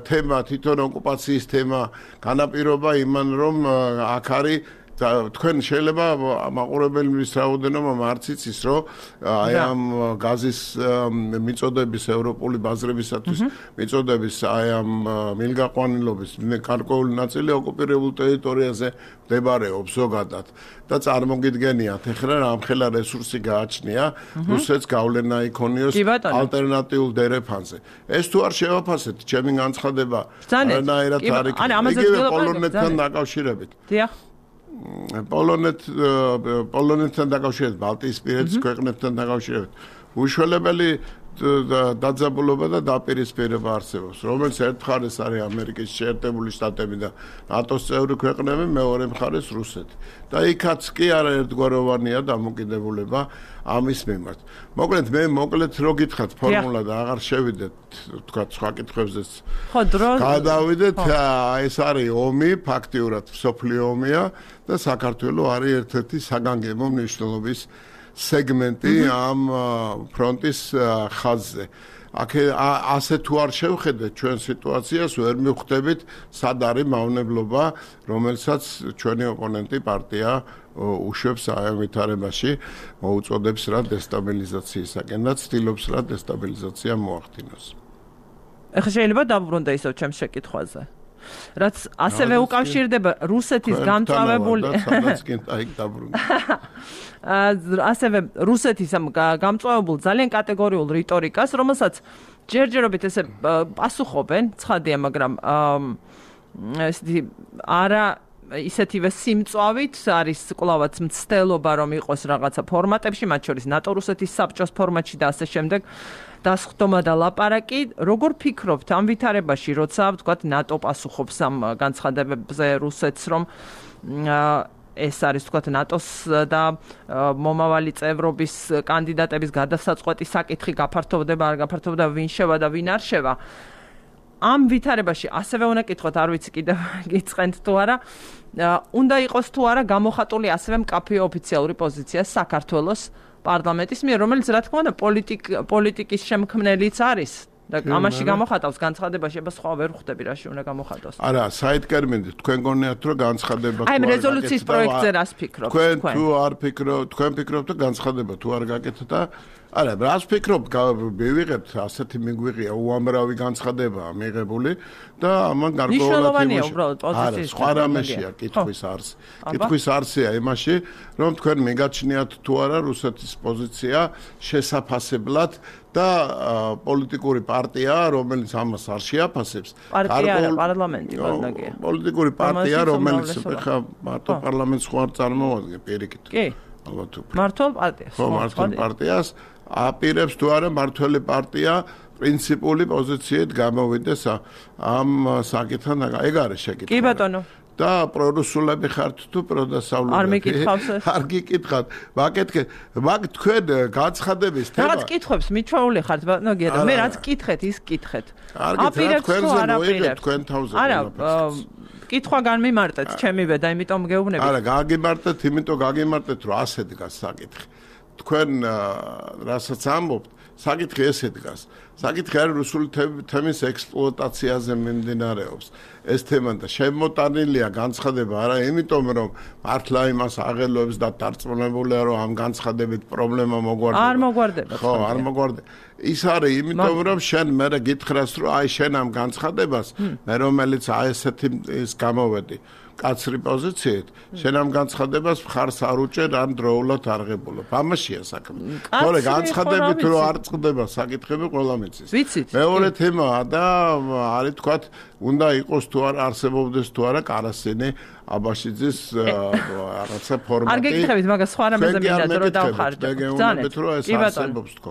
თემა, თვითონ ოკუპაციის თემა განაპირობა იმან, რომ აქ არის თქვენ შეიძლება მაყურებელების რაოდენობა მარც იცის, რომ აი ამ გაზის მიწოდების ევროპული ბაზრებისათვის მიწოდების აი ამ მილგაყვანილობის გარკვეული ნაწილი ოკუპირებულ ტერიტორიაზე მდებარეობს ზოგადად და წარმოგიდგენიათ ეხლა რამხელა რესურსი გააჩნია რუსეთს გავლენა იქონიოს ალტერნატიულ დერეფანზე. ეს თუ არ შევაფასეთ, ჩემი განცხადება არანაირად არ იქნება. იგივე პოლონეთთან დაკავშირებით. დიახ. პოლონეთ პოლონეთთან დაკავშირებით, ბალტიისპირეთის ქვეყნებთან დაკავშირებით უშველებელი დაძაბულობა და დაპირისპირება არსებობს, რომელიც ერთ მხარეს არის ამერიკის შეერთებული შტატები და ნატოს წევრი ქვეყნები, მეორე მხარეს რუსეთი. და იქაც კი არაერთგვაროვანია დამოკიდებულება ამის მიმართ. მოკლედ მე მოკლედ რო გითხრათ ფორმულა და აღარ შევიდეთ თქვა სხვა კითხვებზეც. ხო, დრო გადავიდეთ, ეს არის ომი, ფაქტიურად მსოფლიო ომია და საქართველოს არის ერთ-ერთი საგანგებო მნიშვნელობის სეგმენტი ამ ფრონტის ხაზზე. აქ ასე თუ არ შევხედეთ ჩვენ სიტუაციას, ვერ მივხვდებით სად არის მავნებლობა, რომელსაც ჩვენი ოპონენტი პარტია უშვებს აი ამ ვითარებაში, მოუწოდებს რა დესტაბილიზაციისაკენ და ცდილობს რა დესტაბილიზაცია მოახდინოს. ეხლა შეიძლება დავბრუნდე ისევ ჩემს შეკითხვაზე. რაც ასევე უკავშირდება რუსეთის გამწვავებული ასევე რუსეთის ამ გამწვავებულ ძალიან კატეგორიულ რიტორიკას, რომელსაც ჯერჯერობით ესე პასუხობენ, ცხადია, მაგრამ ესეთი არა ისეთივე სიმწვავით არის კვლავაც მცდელობა რომ იყოს რაღაცა ფორმატებში, მათ შორის ნატო-რუსეთის საბჭოს ფორმატში და ასე შემდეგ. დასხდომა და ლაპარაკი, როგორ ფიქრობთ ამ ვითარებაში, როცა ვთქვათ ნატო პასუხობს ამ განცხადებებზე რუსეთს, რომ ეს არის ვთქვათ ნატოს და მომავალი წევრობის კანდიდატების გადასაწყვეტი საკითხი გაფართოვდება, არ გაფართოვდება, ვინ შევა და ვინ არ შევა. ამ ვითარებაში ასევე უნდა კითხოთ, არ ვიცი კიდევ გიწყენთ თუ არა, უნდა იყოს თუ არა გამოხატული ასევე მკაფიო ოფიციალური პოზიცია საქართველოს პარლამენტის მიერ, რომელიც რა თქმა უნდა პოლიტიკის შემქმნელიც არის და ამაში გამოხატავს განცხადებაში, აბა სხვა ვერ ხვდები რაში უნდა გამოხატოს. არა, საიდტერმინით თქვენ გონიათ რომ განცხადება აი ამ რეზოლუციის პროექტზე რას ფიქრობთ თქვენ? თქვენ თუ არ ფიქრობთ, თქვენ ფიქრობთ რომ განცხადება თუ არ გაკეთეთ და არა, რას ფიქრობთ, მივიღებთ ასეთი მიგვიღია უამრავი განცხადებაა მიღებული და ამან გარკვეულად პოზიციის სხვა რამეშია კითხვის არსი. კითხვის არსია იმაში, რომ თქვენ მიგაჩნიათ თუ არა რუსეთის პოზიცია შესაფასებლად და პოლიტიკური პარტია, რომელიც ამას არ შეაფასებს, პარტია არა, პარლამენტი ბანაკია. პოლიტიკური პარტია, რომელიც ხა მარტო პარლამენტს ხო არ წარმოადგენს პირიქით. კი. ალბათ უფრო. მართლ პარტიას. ხო, მართლ პარტიას აპირებს თუ არა მართველი პარტია პრინციპული პოზიციით გამოვიდეს ამ საკითხთან, ეგ არის შეკითხვა. კი ბატონო. და პრორუსულები ხართ თუ პროდასავლურები? არ მეკითხავს ეს. არ გიკითხავთ. მაკეთე, მაგ თქვენ განცხადების თემა. რაღაც კითხვებს მიჩვეული ხართ, ბატონო, გიადა. მე რაც კითხეთ, ის კითხეთ. აპირებს თუ არა აპირებს თქვენ თავზე. არა, კითხვა განმიმარტეთ ჩემივე და იმიტომ გეუბნებით. არა, გაგიმარტეთ, იმიტომ გაგიმარტეთ, რომ ასე დგას საკითხი. თქვენ რასაც ამბობთ, საკითხი ესე დგას. საკითხი არის რუსული თემის ექსპლუატაციაზე მიმდინარეობს. ეს თემა და შემოტანილია განცხადება არა იმიტომ რომ მართლა იმას აღელვებს და დარწმუნებულია რომ ამ განცხადებით პრობლემა მოგვარდება. არ მოგვარდება. ხო, არ მოგვარდება. ის არის იმიტომ რომ შენ მე გითხრას რომ აი შენ ამ განცხადებას მე რომელიც აი ესეთი ის გამოვედი კაცრი პოზიციით, შენ ამ განცხადებას მხარს არ უჭერ ან დროულად არღებულობ. ამაშია საქმე. თორე განცხადებით რომ არ წყდება საკითხები ყველა მიცის. მეორე თემაა და არის თქვათ უნდა იყოს თუ არ არსებობდეს თუ არა კარასინი აბაშიძის რაღაცა ფორმატი. არ გეკითხებით, მაგას სხვა რამეზე მინდა რომ დავხარჯო. ბრძანეთ რომ ეს არსებობს თქო.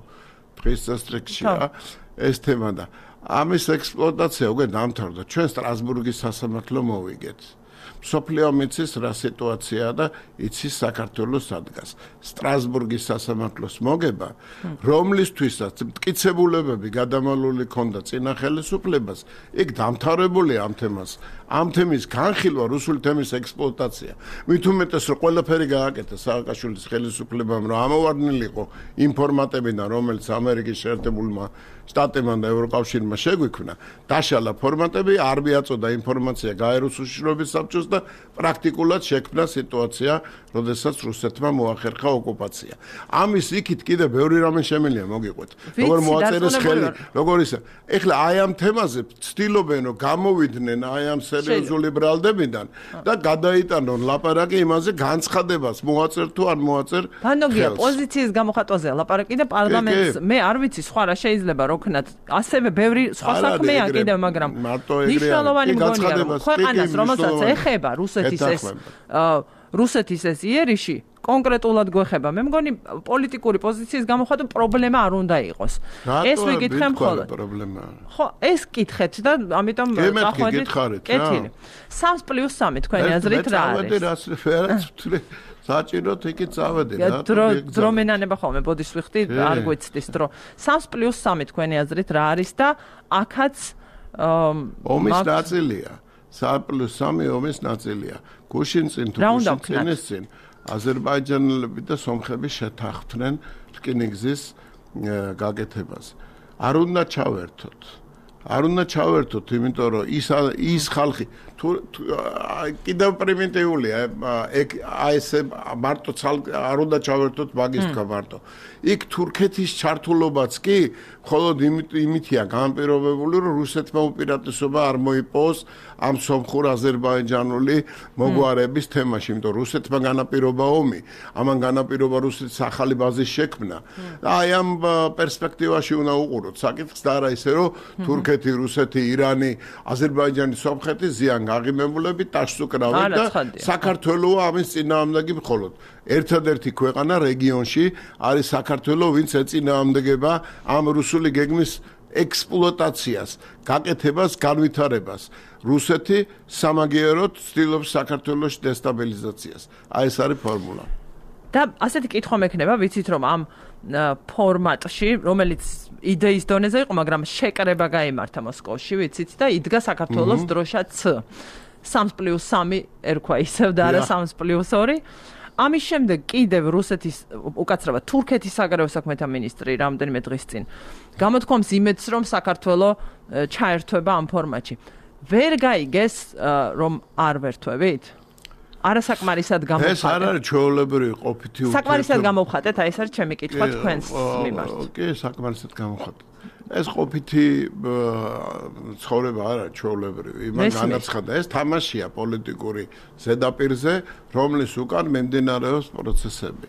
დღის წესრიგშია ეს თემა და ამის ექსპლუატაცია უკვე დამთავრდა. ჩვენ სტრასბურგის სასამართლო მოვიგეთ. სოფლიო მიცის რა სიტუაციაა და იცის საქართველოს ადგას. სტრასბურგის სასამართლოს მოგება, რომლისთვისაც მტკიცებულებები გადამალული ქონდა წინა ხელისუფლებას, იქ დამთავრებული ამ თემას. ამ თემის განხილვა, რუსული თემის ექსპლუატაცია. მით უმეტეს რომ ყველაფერი გააკეთა სააკაშვილის ხელისუფლებამ, რომ ამოვარდნილიყო ინფორმატებიდან, რომელიც ამერიკის შეერთებულმა შტატებმა და ევროკავშირმა შეგვიქმნა, დაშალა ფორმატები, არ მიაწოდა ინფორმაცია გაეროს უშიშროების საბჭოს და პრაქტიკულად შექმნა სიტუაცია, როდესაც რუსეთმა მოახერხა ოკუპაცია. ამის იქით კიდე ბევრი რამე შემიძლია მოგიყვეთ. როგორ მოაწერეს ხელი, როგორ ისა. ეხლა აი ამ თემაზე ცდილობენ რომ გამოვიდნენ აი ამ სერიოზული ბრალდებიდან და გადაიტანონ ლაპარაკი იმაზე განცხადებას მოაწერ თუ არ მოაწერ. ბანოგია პოზიციის გამოხატვაზეა ლაპარაკი და პარლამენტს მე არ ვიცი სხვა რა შეიძლება როქნათ ასევე ბევრი სხვა საქმეა კიდევ მაგრამ მნიშვნელოვანი მგონია რომ ქვეყანას რომელსაც ეხება რუსეთის ეს რუსეთის ეს იერიში კონკრეტულად გვეხება მე მგონი პოლიტიკური პოზიციის გამოხატვა პრობლემა არ უნდა იყოს ეს ვიკითხე მხოლოდ პრობლემა ხო ეს კითხეთ და ამიტომ წახვედით კეთილი სამს პლუს სამი თქვენი აზრით რა არის საჭიროთ იქით წავედი რა დრო მენანება ხოლმე ბოდიშს ვიხდი არ გვეცდის დრო სამს პლუს სამი თქვენი აზრით რა არის და აქაც ომის ნაწილია სამს პლუს სამი ომის ნაწილია გუშინ წინ თუ გუშინ წინის წინ აზერბაიჯანელები და სომხები შეთანხმდნენ რკინიგზის გაკეთებას არ უნდა ჩავერთოთ არ უნდა ჩავერთოთ იმიტომ რომ ის ის ხალხი თუ კიდევ პრიმიტიულია აი ესე მარტო არ უნდა ჩავერთოთ მაგის თქვა მარტო იქ თურქეთის ჩართულობაც კი მხოლოდ იმითია განპირობებული რომ რუსეთმა უპირატესობა არ მოიპოვოს ამ სომხურ აზერბაიჯანული მოგვარების თემაში იმიტომ რუსეთმა განაპირობა ომი ამან განაპირობა რუსეთის ახალი ბაზის შექმნა და აი ამ პერსპექტივაში უნდა უყუროთ საკითხს და არა ისე რომ თურქეთი რუსეთი ირანი აზერბაიჯანი სომხეთი ზიან გაღიმებულები ტაშს უკრავენ და საქართველოს ამის წინააღმდეგი მხოლოდ ერთადერთი ქვეყანა რეგიონში არის საქართველოს ვინც ეწინააღმდეგება ამ რუსული გეგმის ექსპლუატაციას გაკეთებას განვითარებას რუსეთი სამაგიეროდ ცდილობს საქართველოს დესტაბილიზაციას აი ეს არის ფორმულა და ასეთი კითხვა მექნება ვიცით რომ ამ ფორმატში რომელიც იდეის დონეზე იყო მაგრამ შეკრება გაიმართა მოსკოვში ვიცით და იდგა საქართველოს დროშა C სამს პლუს სამი ერქვა ისევ და არა სამს პლუს ორი ამის შემდეგ კიდევ რუსეთის უკაცრავად თურქეთის საგარეო საქმეთა მინისტრი რამდენიმე დღის წინ გამოთქვამს იმედს რომ საქართველოს ჩაერთვება ამ ფორმატში ვერ გაიგეს რომ არ ვერთვებით არასაკმარისად გამოვხატეთ. ეს არ არის ჩვეულებრივი ყოფითი ურთიერთობა. საკმარისად გამოვხატეთ, აი ეს არის ჩემი კითხვა თქვენს მიმართ. კი, საკმარისად გამოვხატეთ. ეს ყოფითი ცხოვრება არა ჩვეულებრივი. იმან განაცხადა, ეს თამაშია პოლიტიკური ზედაპირზე, რომლის უკან მიმდინარეობს პროცესები.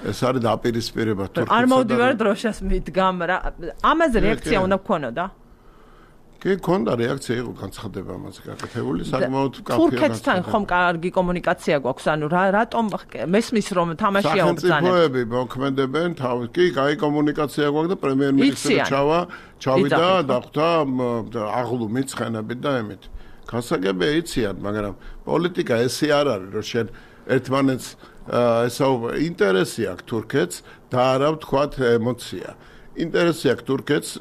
ეს არის დაპირისპირება თურქეთსა და არ მოვდივარ დროშას მიდგამ რა. ამაზე რეაქცია უნდა გქონოდა? კი, ქონდა რეაქცია იყო განცხადება ამაზე გაკეთებული, საკმაოდ კაფეა. თურქეთთან ხომ კარგი კომუნიკაცია გვაქვს, ანუ რა რატომ მესმის რომ თამაშია უბრძანებს. სახელმწიფოები მოქმედებენ თავის, კი, კაი კომუნიკაცია გვაქვს და პრემიერ-მინისტრი ჩავა, ჩავიდა და ხვდა აღლუ მიცხენებით და ემით. გასაგებია იციან, მაგრამ პოლიტიკა ესე არ არის, რომ შენ ერთმანეთს ესაუ ინტერესი აქვს თურქეთს და არა ვთქვათ ემოცია. ინტერესი აქვს თურქეთს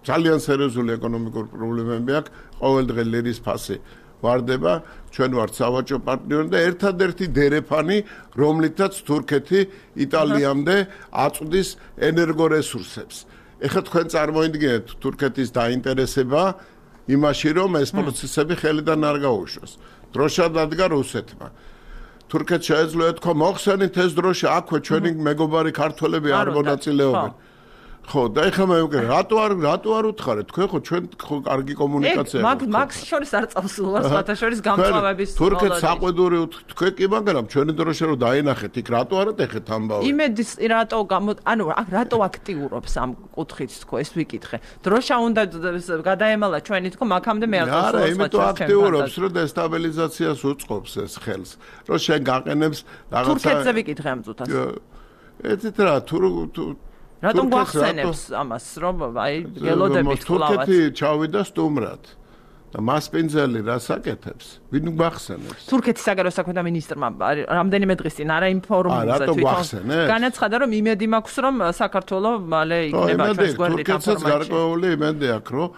ძალიან სერიოზული ეკონომიკური პრობლემები აქვს, ყოველდღე ლირის ფასი ვარდება, ჩვენ ვართ სავაჭრო პარტნიორი და ერთადერთი დერეფანი, რომლითაც თურქეთი იტალიამდე აწვდის ენერგორესურსებს. ეხლა თქვენ წარმოიდგინეთ თურქეთის დაინტერესება იმაში, რომ ეს პროცესები ხელიდან არ გაუშვას. დროშა დადგა რუსეთმა. თურქეთს შეეძლო ეთქვა, მოხსენით ეს დროშა, აქვე ჩვენი მეგობარი ქართველები არ მონაწილეობენ. ხო, და ეხლა მე ვიგე, რატო არ რატო არ უთხარეთ? თქვენ ხო ჩვენ ხო კარგი კომუნიკაცია აქვს. მაგ მაგ შორის არ წავსულვარ, სხვათა შორის გამწვავების თურქეთს საყვედური თქვენ კი, მაგრამ ჩვენი დროშა რო დაინახეთ, იქ რატო არ ატეხეთ ამბავი? იმედის რატო გამო, ანუ რატო აქტიურობს ამ კუთხით თქო, ეს ვიკითხე. დროშა უნდა გადაემალა ჩვენი თქო, მაგამდე მე არ წავსულვარ. არა, იმიტომ აქტიურობს, რომ დესტაბილიზაციას უწყობს ეს ხელს. რომ შენ გაყენებს რაღაცა თურქეთზე ვიკითხე ამ წუთას. ეთით რა, თუ რატომ გვახსენებს ამას, რომ აი გელოდებით კლავად. თურქეთი ჩავიდა სტუმრად. და მასპინძელი რას აკეთებს? ვინ გვახსენებს? თურქეთის საგარეო საქმეთა მინისტრმა რამდენიმე დღის წინ არა ინფორმაციაზე თვითონ განაცხადა, რომ იმედი მაქვს, რომ საქართველოს მალე იქნება ჩვენს გვერდით ამ ფორმატში. გარკვეული იმედი აქვს, რომ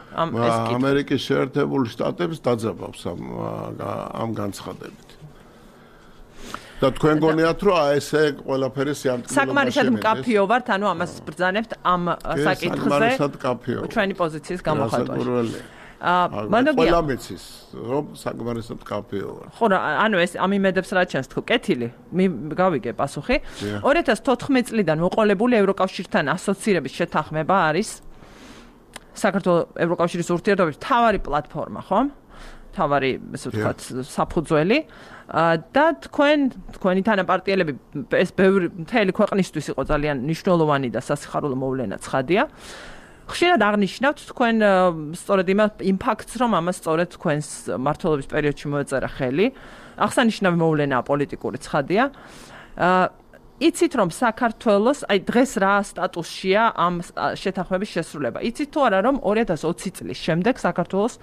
ამერიკის შეერთებული შტატებს დაძაბავს ამ ამ განცხადებით. და თქვენ გონიათ, რომ აი ესე ყველაფერი სიამტკივრად საკმარისად მკაფიო ვართ, ანუ ამას ბრძანებთ ამ საკითხზე ჩვენი პოზიციის გამოხატვაში. აა მანდაგია ყველა მიცის რომ საკმარისად მკაფიო ვარ. ხო რა, ანუ ეს ამ იმედებს რა ჩანს თქო, კეთილი. გავიგე პასუხი. ორი ათას თოთხმეტ წლიდან მოყოლებული ევროკავშირთან ასოცირების შეთანხმება არის საქართველოს ევროკავშირის ურთიერთობების მთავარი პლატფორმა, ხო? მთავარი, ესე ვთქვათ, საფუძველი. და თქვენ თქვენი თანაპარტიელები ეს ბევრი მთელი ქვეყნისთვის იყო ძალიან მნიშვნელოვანი და სასიხარულო მოვლენა ცხადია. ხშირად აღნიშნავთ თქვენ სწორედ იმ ფაქტს, რომ ამას სწორედ თქვენს მმართველობის პერიოდში მოეწერა ხელი. აღსანიშნავი მოვლენაა პოლიტიკური ცხადია. იცით რომ საქართველოს აი დღეს რა სტატუსშია ამ შეთანხმების შესრულება. იცით თუ არა რომ ორი ათას ოცი წლის შემდეგ საქართველოს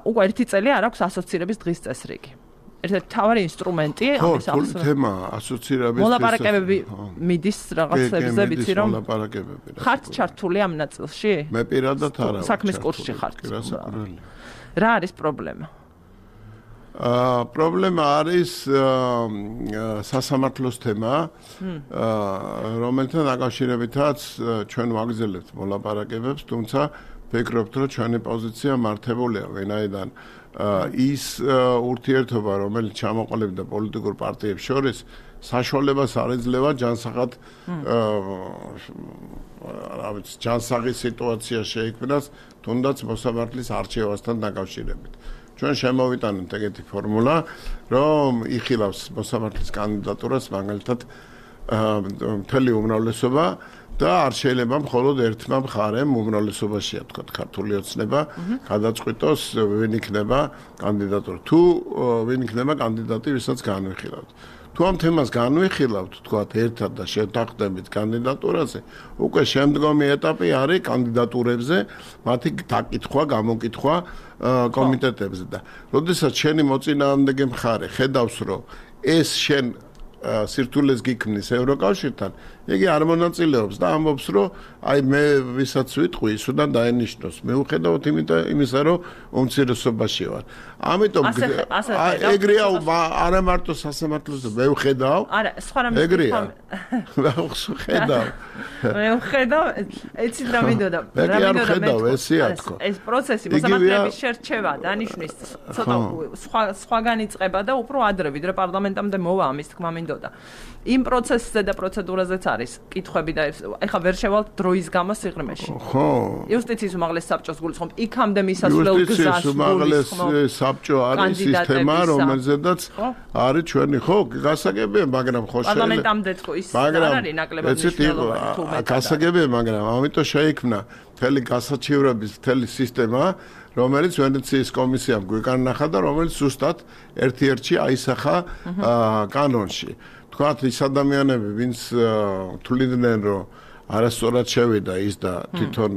უკვე ერთი წელი არ აქვს ასოცირების დღის წესრიგი. ერთ-ერთი მთავარი ინსტრუმენტი ამის ახსნა. ხო, თემა ასოცირების მოლაპარაკებები მიდის რაღაცებზე, ვიცი რომ მოლაპარაკებები. ხართ ჩართული ამ ნაწილში? მე პირადად არა. საქმის კურსში ხართ. რა არის პრობლემა? აა პრობლემა არის სასამართლოს თემა, რომელთან დაკავშირებითაც ჩვენ ვაგრძელებთ მოლაპარაკებებს, თუმცა ვფიქრობთ, რომ ჩვენი პოზიცია მართებულია, ვინაიდან ის ურთიერთობა, რომელიც ჩამოყალიბდა პოლიტიკურ პარტიებს შორის, საშუალებას არ ეძლევა ჯანსაღად რა ვიცი, ჯანსაღი სიტუაცია შეიქმნას, თუნდაც მოსამართლის არჩევასთან დაკავშირებით. ჩვენ შემოვიტანეთ ეგეთი ფორმულა, რომ იხილავს მოსამართლის კანდიდატურას მაგალითად მთელი უმრავლესობა და არ შეიძლება მხოლოდ ერთმა მხარემ უმრავლესობაშია თქვა ქართული ოცნება გადაწყვიტოს ვინ იქნება კანდიდატური. თუ ვინ იქნება კანდიდატი, ვისაც განვიხილავთ. თუ ამ თემას განვიხილავთ, თქვა ერთად და შეთანხმდებით კანდიდატურაზე, უკვე შემდგომი ეტაპი არის კანდიდატურებზე, მათი დაკითხვა, გამოკითხვა კომიტეტებზე და როდესაც შენი მოწინააღმდეგე მხარე ხედავს, რომ ეს შენ სირთულეს გიქმნის ევროკავშირთან, იგი არ მონაწილეობს და ამბობს, რომ აი მე ვისაც ვიტყვი, ის უნდა დაენიშნოს. მიუხედავად იმისა, რომ უმცირესობაში ვარ. ამიტომ ეგრეა არა მარტო სასამართლოზე მე ვხედავ. არა, სხვა რამე ეგრეა. მე ვხედავ. მე ვხედავ, ეცით რა მინდოდა. რა მინდოდა მე ესია თქო. ეს პროცესი მოსამართლეების შერჩევა, დანიშვნის ცოტა სხვა სხვაგან იწყება და უფრო ადრე, ვიდრე პარლამენტამდე მოვა ამის თქმა მინდოდა. იმ პროცესზე და პროცედურაზეც არის კითხვები და ეხლა ვერ შევალთ დროის გამო სიღრმეში. ხო. იუსტიციის უმაღლეს საბჭოს გულისხმობ, იქამდე მისასვლელ გზას იუსტიციის უმაღლეს საბჭო არის სისტემა, რომელზედაც არის ჩვენი ხო, გასაგებია, მაგრამ ხო შეიძლება. პარლამენტამდე თქო ის არ არის ნაკლებად მნიშვნელოვანი თუ მეტად. გასაგებია, მაგრამ ამიტომ შეიქმნა მთელი გასაჩივრების მთელი სისტემა, რომელიც ვენეციის კომისიამ გვიკარნახა და რომელიც ზუსტად ერთ-ერთში აისახა კანონში. თქვათ ის ადამიანები, ვინც თვლიდნენ, რომ არასწორად შევიდა ის და თვითონ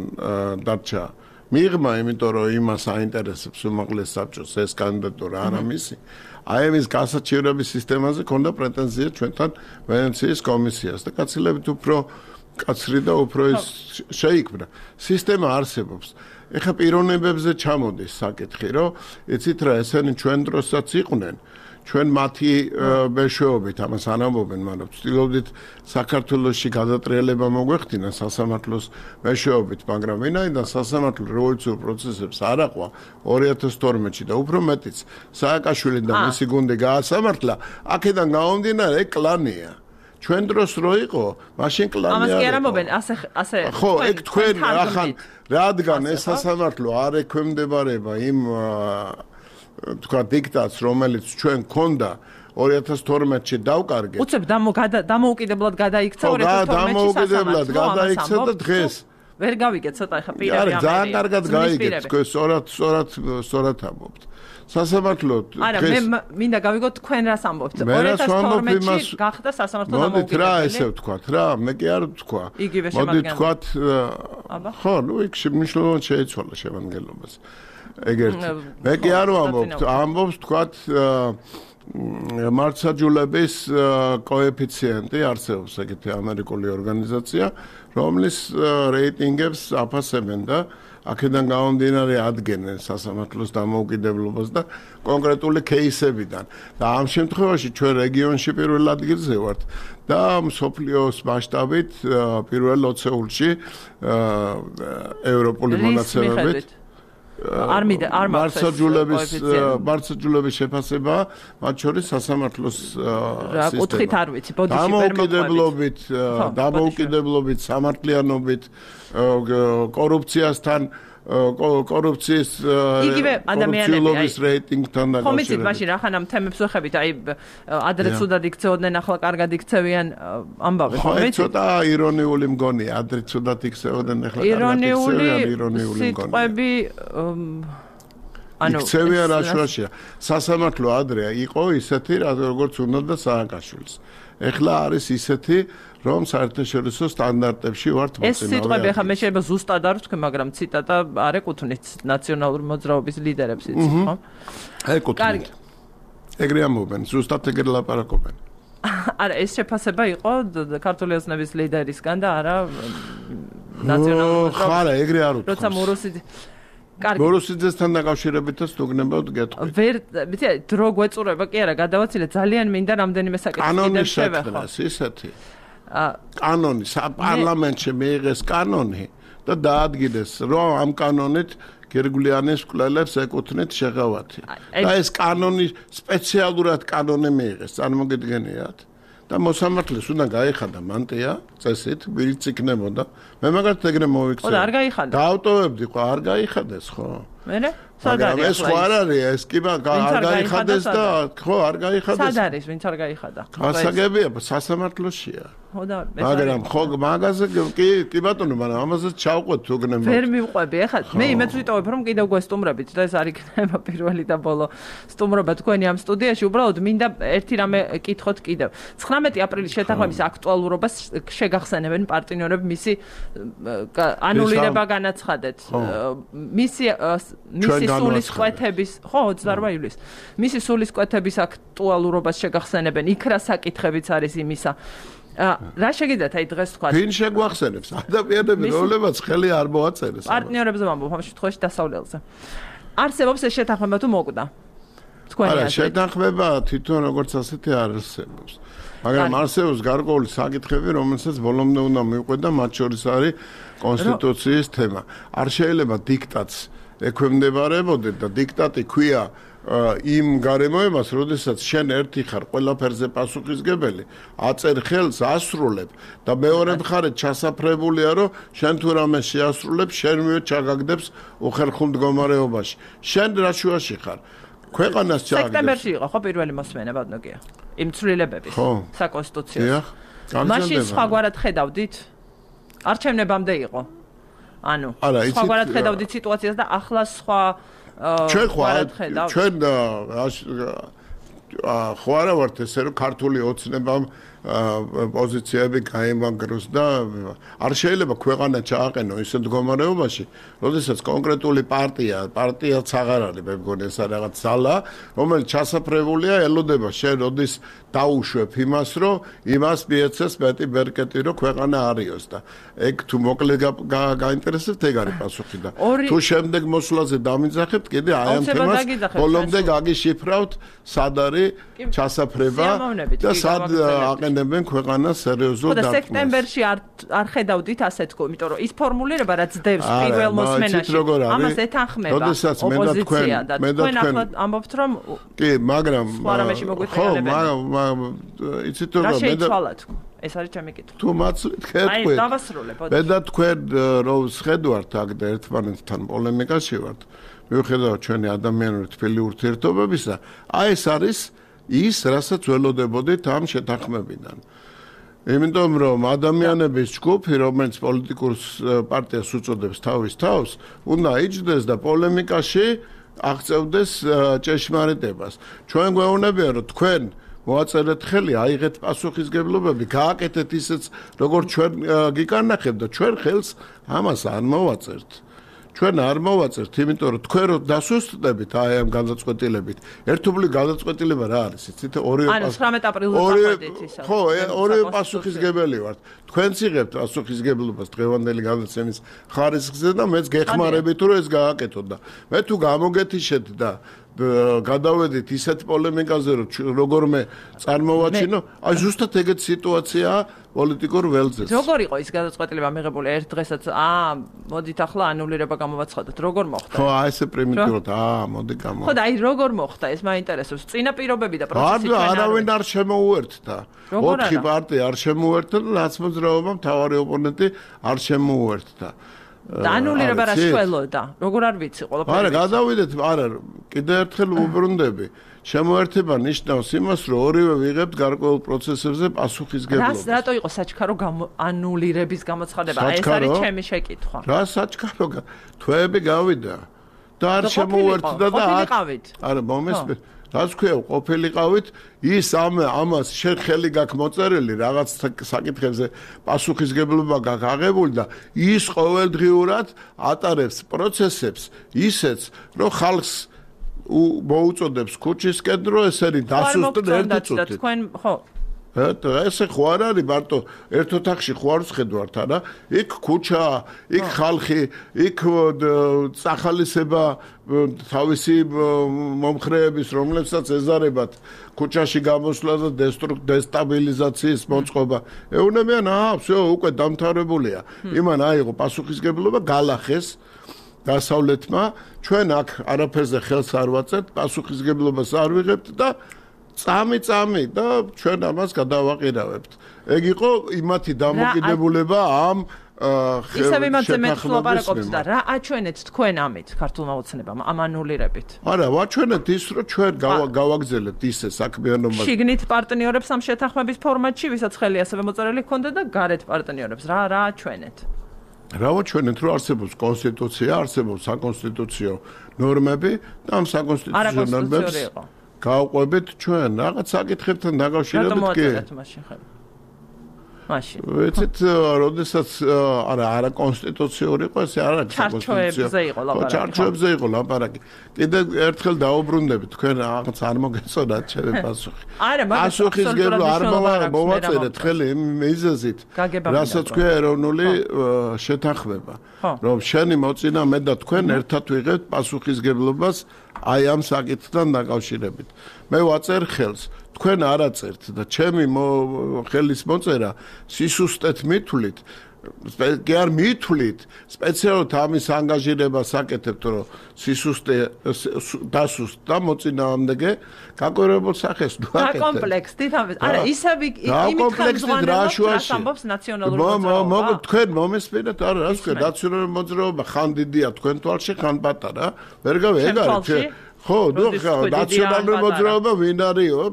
დარჩა მიღმა, იმიტომ რომ იმას აინტერესებს უმაღლეს საბჭოს ეს კანდიდატურა არა მისი. აი ამის გასაჩივრების სისტემაზე ქონდა პრეტენზია ჩვენთან ვენეციის კომისიას და გაცილებით უფრო კაცრი და უფრო ის შეიქმნა. სისტემა არსებობს. ეხლა პიროვნებებზე ჩამოდის საკითხი, რომ იცით რა, ესენი ჩვენ დროსაც იყვნენ. ჩვენ მათი მეშვეობით ამას არ ამბობენ, მაგრამ ვცდილობდით საქართველოში გადატრიალება მოგვეხდინა სასამართლოს მეშვეობით, მაგრამ ვინაიდან სასამართლო რევოლუციურ პროცესებს არ აყვა ორი ათას თორმეტში და უფრო მეტიც სააკაშვილი და მისი გუნდი გაასამართლა, აქედან გამომდინარე კლანია. ჩვენ დროს რო იყო, მაშინ კლანი ამას კი არ ამბობენ, ასე ასე ხო, ეგ თქვენ ახან რადგან ეს სასამართლო არ ექვემდებარება იმ თქვა დიქტატს, რომელიც ჩვენ ქონდა ორი ათას თორმეტში დავკარგეთ. უცებ დამოუკიდებლად გადაიქცა ორი ათას თორმეტში დამოუკიდებლად გადაიქცა და დღეს ვერ გავიგეთ ცოტა ხა პირები ამერია. ძალიან კარგად გაიგეთ, თქვენ სწორად სწორად სწორად ამბობთ. სასამართლო დღეს არა, მე მინდა გავიგოთ თქვენ რას ამბობთ. ორი ათას თორმეტში გახდა სასამართლო დამოუკიდებელი. მოდით რა ესე ვთქვათ რა, მე კი არ ვთქვა. იგივე შემადგენლობა. მოდით ვთქვათ, ხო, ნუ იქ მნიშვნელოვნად შეიცვალა შემადგენლობას. ეგერთი. მე კი არ ვამბობ, ამბობს თქვათ მარცხაჯულების კოეფიციენტი არსებობს ეგეთი ამერიკული ორგანიზაცია, რომლის რეიტინგებს აფასებენ და აქედან გამომდინარე ადგენენ სასამართლოს დამოუკიდებლობას და კონკრეტული кейსებიდან. და ამ შემთხვევაში ჩვენ რეგიონში პირველ ადგილზე ვართ და მსოფლიოს მასშტაბით პირველ ოცეულში ევროპული მონაცემებით არ მიდე არ მარცხაჯულების მარცხაჯულების შეფასება მათ შორის სასამართლოს სისტემა. კუთხით არ ვიცი, ბოდიში დამოუკიდებლობით, დამოუკიდებლობით, სამართლიანობით, კორუფციასთან კორუფციის იგივე ადამიანების რეიტინგთან დაკავშირებით. ხომ იცით მაშინ ახლა ამ თემებს ვეხებით, აი ადრე ცუდად იქცეოდნენ, ახლა კარგად იქცევიან ამბავი, ხო იცით? ცოტა ირონიული მგონია, ადრე ცუდად იქცეოდნენ, ახლა კარგად იქცევიან, ირონიული მგონია. სიტყვები ანუ იქცევიან რაშუაშია. სასამართლო ადრე იყო ისეთი, როგორც უნდა სააკაშვილის. ეხლა არის ისეთი რომ საერთაშორისო სტანდარტებში ვართ მოწინავე. ეს სიტყვები ახლა მე შეიძლება ზუსტად არ ვთქვი, მაგრამ ციტატა არ ეკუთვნით ნაციონალური მოძრაობის ლიდერებს იცით, ხო? ეკუთვნით. ეგრე ამბობენ, ზუსტად ეგრე ლაპარაკობენ. არა, ეს შეფასება იყო ქართული ოცნების ლიდერისგან და არა ნაციონალური მოძრაობის. ხო, არა, ეგრე არ უთქვამს. როცა მოროსიძე კარგი. მოროსიძესთან დაკავშირებითაც თუგნებავთ გეტყვით. ვერ, ვიცი, დრო გვეწურება კი არა, გადავაცილე, ძალიან მინდა რამდენიმე საკითხი კიდევ შევეხო. ისეთი. კანონი საპარლამენტში მიიღეს კანონი და დაადგინეს რომ ამ კანონით გერგვლიანის მკვლელებს ეკუთვნით შეღავათი და ეს კანონი სპეციალურად კანონი მიიღეს წარმოგიდგენიათ და მოსამართლეს უნდა გაიხადა მანტია წესით ვირიც იქნებოდა მე მაგათ ეგრე მოვიქცე ხო და არ გაიხადა დაავტოვებდი ხო არ გაიხადეს ხო მერე სად არის ეს ხო არ არის ეს კი არ გაიხადეს და ხო არ გაიხადეს სად არის ვინც არ გაიხადა გასაგებია სასამართლოშია ხო და მაგრამ ხო მაგაზე კი კი ბატონო მაგრამ ამაზე ჩავყვეთ თუგნებო ვერ მივყვები ახლა მე იმეც ვიტოვებ რომ კიდევ გვესტუმრებით და ეს არ იქნება პირველი და ბოლო სტუმრობა თქვენი ამ სტუდიაში უბრალოდ მინდა ერთი რამე კითხოთ კიდევ ცხრამეტი აპრილის შეთანხმების აქტუალურობას შეგახსენებენ პარტნიორები მისი ანულირება განაცხადეთ მისი მისი სულისკვეთების ხო ოცდაორმა ივლისს მისი სულისკვეთების აქტუალურობას შეგახსენებენ იქ რა საკითხებიც არის იმისა რა შეგიძლიათ აი დღეს თქვა ვინ შეგვახსენებს ადამიანები რომლებაც ხელი არ მოაწერეს პარტნიორებზე ვამბობ ამ შემთხვევაში დასავლელზე არსებობს ეს შეთანხმება თუ მოკვდა თქვენი არა შეთანხმება თვითონ როგორც ასეთი არ არსებობს მაგრამ არსებობს გარკვეული საკითხები რომელსაც ბოლომდე უნდა მივყვეთ და მათ შორის არის კონსტიტუციის თემა არ შეიძლება დიქტატს ექვემდებარებოდეთ და დიქტატი ქვია იმ გარემოებას, როდესაც შენ ერთი ხარ ყველაფერზე პასუხისგებელი, აწერ ხელს ასრულებ და მეორე მხარეს ჩასაფრებულია, რომ შენ თუ რამე შეასრულებ, შენვე ჩაგაგდებს უხერხულ მდგომარეობაში. შენ რა შუაში ხარ? ქვეყანას ჩაგაგდებს. სექტემბერში იყო ხო პირველი მოსმენა ბატონო? იმ ცვლილებების საკონსტიტუციო. მაშინ სხვაგვარად ხედავდით? არჩევნებამდე იყო. ანუ სხვაგვარად ხედავდით სიტუაციას და ახლა სხვა ჩვენ ხო ჩვენ ხო არა ვართ ესე რომ ქართული ოცნებამ პოზიციები გაიმაგროს და არ შეიძლება ქვეყანა ჩააყენო ისეთ მდგომარეობაში, როდესაც კონკრეტული პარტია, პარტიაც აღარ არის, მე მგონი ეს რაღაც ძალა, რომელიც ჩასაფრებულია, ელოდება შენ როდის დაუშვებ იმას, რომ იმას მიეცეს მეტი ბერკეტი, რომ ქვეყანა არიოს და ეგ თუ მოკლე გაინტერესებთ, ეგ არის პასუხი და თუ შემდეგ მოსვლაზე დამიძახებთ, კიდე აი ამ თემას ბოლომდე გაგიშიფრავთ, სად არის ჩასაფრება და სად აყენებენ ქვეყანას სერიოზულ დარტყმას. და სექტემბერში არ არ ხედავდით ასე თქო, იმიტომ რომ ის ფორმულირება რაც დევს პირველ მოსმენაში, ამას ეთანხმება ოპოზიცია და თქვენ ახლა ამბობთ რომ კი, მაგრამ ხო, მაგრამ იცით რომ მე და ეს არის ჩემი კითხვა. თუ მაცლით თქვენ. აი, დავასრულებ. მე და თქვენ რომ შედვართ აქ და ერთმანეთთან პოლემიკაში ვართ. მიუხედავად ჩვენი ადამიანური თბილი ურთიერთობებისა, აი ეს არის ის, რასაც ველოდებოდით ამ შეთანხმებიდან. იმიტომ რომ ადამიანების ჯგუფი, რომელიც პოლიტიკურ პარტიას უწოდებს თავის თავს, უნდა იჯდეს და პოლემიკაში აღწევდეს ჭეშმარიტებას. ჩვენ გვეუბნებიან, რომ თქვენ მოაწერეთ ხელი, აიღეთ პასუხისგებლობები, გააკეთეთ ისიც, როგორც ჩვენ გიკანახებთ და ჩვენ ხელს ამას არ მოვაწერთ. ჩვენ არ მოვაწერთ, იმიტომ რომ თქვენ რო დასუსტდებით აი ამ განაწყვეტილებით. ერთობლივ განაწყვეტილება რა არის? იცით, ორივე ანუ ცხრამეტ აპრილზე წახვედით ისა. ხო, ორივე პასუხისგებელი ვართ. თქვენც იღებთ პასუხისგებლობას დღევანდელი განაცემის ხარისხზე და მეც გეხმარებით რომ ეს გააკეთოთ და მე თუ გამოგეთიშეთ და გადავედით ისეთ პოლემიკაზე რომ როგორმე წარმოვაჩინო, აი ზუსტად ეგეთ სიტუაციაა პოლიტიკურ ველზე. როგორ იყო ის გადაწყვეტილება მიღებული ერთ დღესაც? აა, მოდით ახლა ანულირება გამოვაცხადოთ. როგორ მოხდა? ხო, აი ესე პრიმიტიულად, აა, მოდი გამო. ხო, და აი როგორ მოხდა ეს მაინტერესებს. წინა პირობები და პროცესი ჩვენ არ არავინ არ შემოუერთდა. ოთხი პარტია არ შემოუერთდა და ნაცმოძრაობა მთავარი ოპონენტი არ შემოუერთდა. და ანულირება რა შველოდა? როგორ არ ვიცი ყველაფერი. არა, გადავიდეთ, არა, კიდევ ერთხელ უბრუნდები. შემოერთება ნიშნავს იმას, რომ ორივე ვიღებთ გარკვეულ პროცესებზე პასუხისგებლობას. რას რატო იყო საჩქარო ანულირების გამოცხადება? აი ეს არის ჩემი შეკითხვა. რა საჩქარო? თვეები გავიდა და არ შემოერთდა და არა, მომესმეთ. რაც ქვია, ყოფილიყავით, ის ამ ამას შენ ხელი გაქვს მოწერილი რაღაც საკითხებზე პასუხისგებლობა გაქვს აღებული და ის ყოველდღიურად ატარებს პროცესებს ისეც, რომ ხალხს მოუწოდებს ქუჩისკენ, რომ ეს არის დასუსტდა ერთი წუთით. თქვენ ხო ესე ხო არ არის მარტო ერთ ოთახში ხო არ ვხედავთ არა იქ ქუჩა იქ ხალხი იქ სახალისება თავისი მომხრეების რომლებსაც ეზარებათ ქუჩაში გამოსვლა და დესტაბილიზაციის მოწყობა ეუნებიან აა всё უკვე დამთავრებულია იმან აიღო პასუხისგებლობა გალახეს დასავლეთმა ჩვენ აქ არაფერზე ხელს არ ვაწერთ პასუხისგებლობას არ ვიღებთ და წამი წამი და ჩვენ ამას გადავაყირავებთ. ეგ იყო იმათი დამოკიდებულება ამ ისევ იმაზე მეც ვლაპარაკობთ და რა აჩვენეთ თქვენ ამით ქართულმა ოცნებამ ამ ანულირებით? არა, ვაჩვენეთ ის, რომ ჩვენ გავაგზავნებთ ისე საქმიანობას. შიგნით პარტნიორებს ამ შეთანხმების ფორმატში, ვისაც ხელი ასევე მოწერილი ჰქონდა და გარეთ პარტნიორებს. რა რა აჩვენეთ? რა ვაჩვენეთ, რომ არსებობს კონსტიტუცია, არსებობს საკონსტიტუციო ნორმები და ამ საკონსტიტუციო ნორმებს გავყვებით ჩვენ რაღაც საკითხებთან დაკავშირებით კი. რატომ მაშინ ხარ? მაშინ. ვიცით, როდესაც არა არა კონსტიტუციური იყო, ეს არა კონსტიტუცია. იყო ლაპარაკი. ჩარჩოებზე იყო ლაპარაკი. კიდევ ერთხელ დაუბრუნდებით, თქვენ რაღაც არ მოგეწონათ ჩემი პასუხი. არა, მაგრამ პასუხისგებლო არ მოვაწერეთ ხელი იმ მიზეზით, რასაც ქვია ეროვნული შეთანხმება. რომ შენი მოწინა მე და თქვენ ერთად ვიღებთ პასუხისგებლობას აი ამ საკითხთან დაკავშირებით. მე ვაწერ ხელს, თქვენ არ აწერთ და ჩემი ხელის მოწერა სისუსტეთ მithulit, კი არ მithulit, სპეციალურად ამის ანგაჟირებას აკეთებთ, რომ სისუსტე დასუსტდა მოწინააღმდეგე გაკვირვებულ სახეს ნუაკეთებ. და კომპლექსით ამის. არა, ისევ იმით ხმზღვანელობს ამბობს ნაციონალური მოძრაობა. მოგ თქვენ მომესმინეთ, არა, რას ქვია, ნაციონალური მოძრაობა ხან დიდია თქვენ თვალში, ხან პატარა. ვერ გავი, ეგ არის. ხო, ნუ ნაციონალური მოძრაობა ვინ არისო?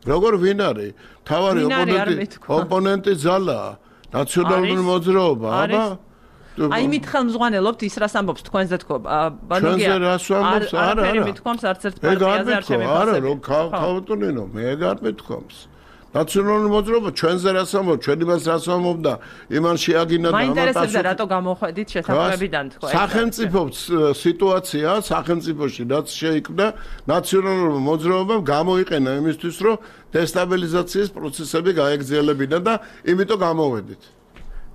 როგორ ვინ არის? თავარი ოპონენტი, ოპონენტი ძალაა. ნაციონალური მოძრაობა, აბა. აი მით ხელმძღვანელობთ ის რას ამბობს თქვენზე თქო. ბანოგია. ჩვენზე რას ამბობს? არა, არა. მე მithkoms არც ერთ პარტიაზე არ შემიფასებ. არა, რომ ქავტუნინო, მე არ მithkoms. ნაციონალური მოძრაობა ჩვენზე რას ამბობს, ჩვენ იმას რას ამბობდა, იმან შეაგინა და მაინტერესებდა რატო გამოხედით შეთანხმებიდან თქო. სახელმწიფო სიტუაცია, სახელმწიფოში რაც შეიქმნა, ნაციონალური მოძრაობამ გამოიყენა იმისთვის, რომ დესტაბილიზაციის პროცესები გაეგრძელებინა და იმიტომ გამოვედით.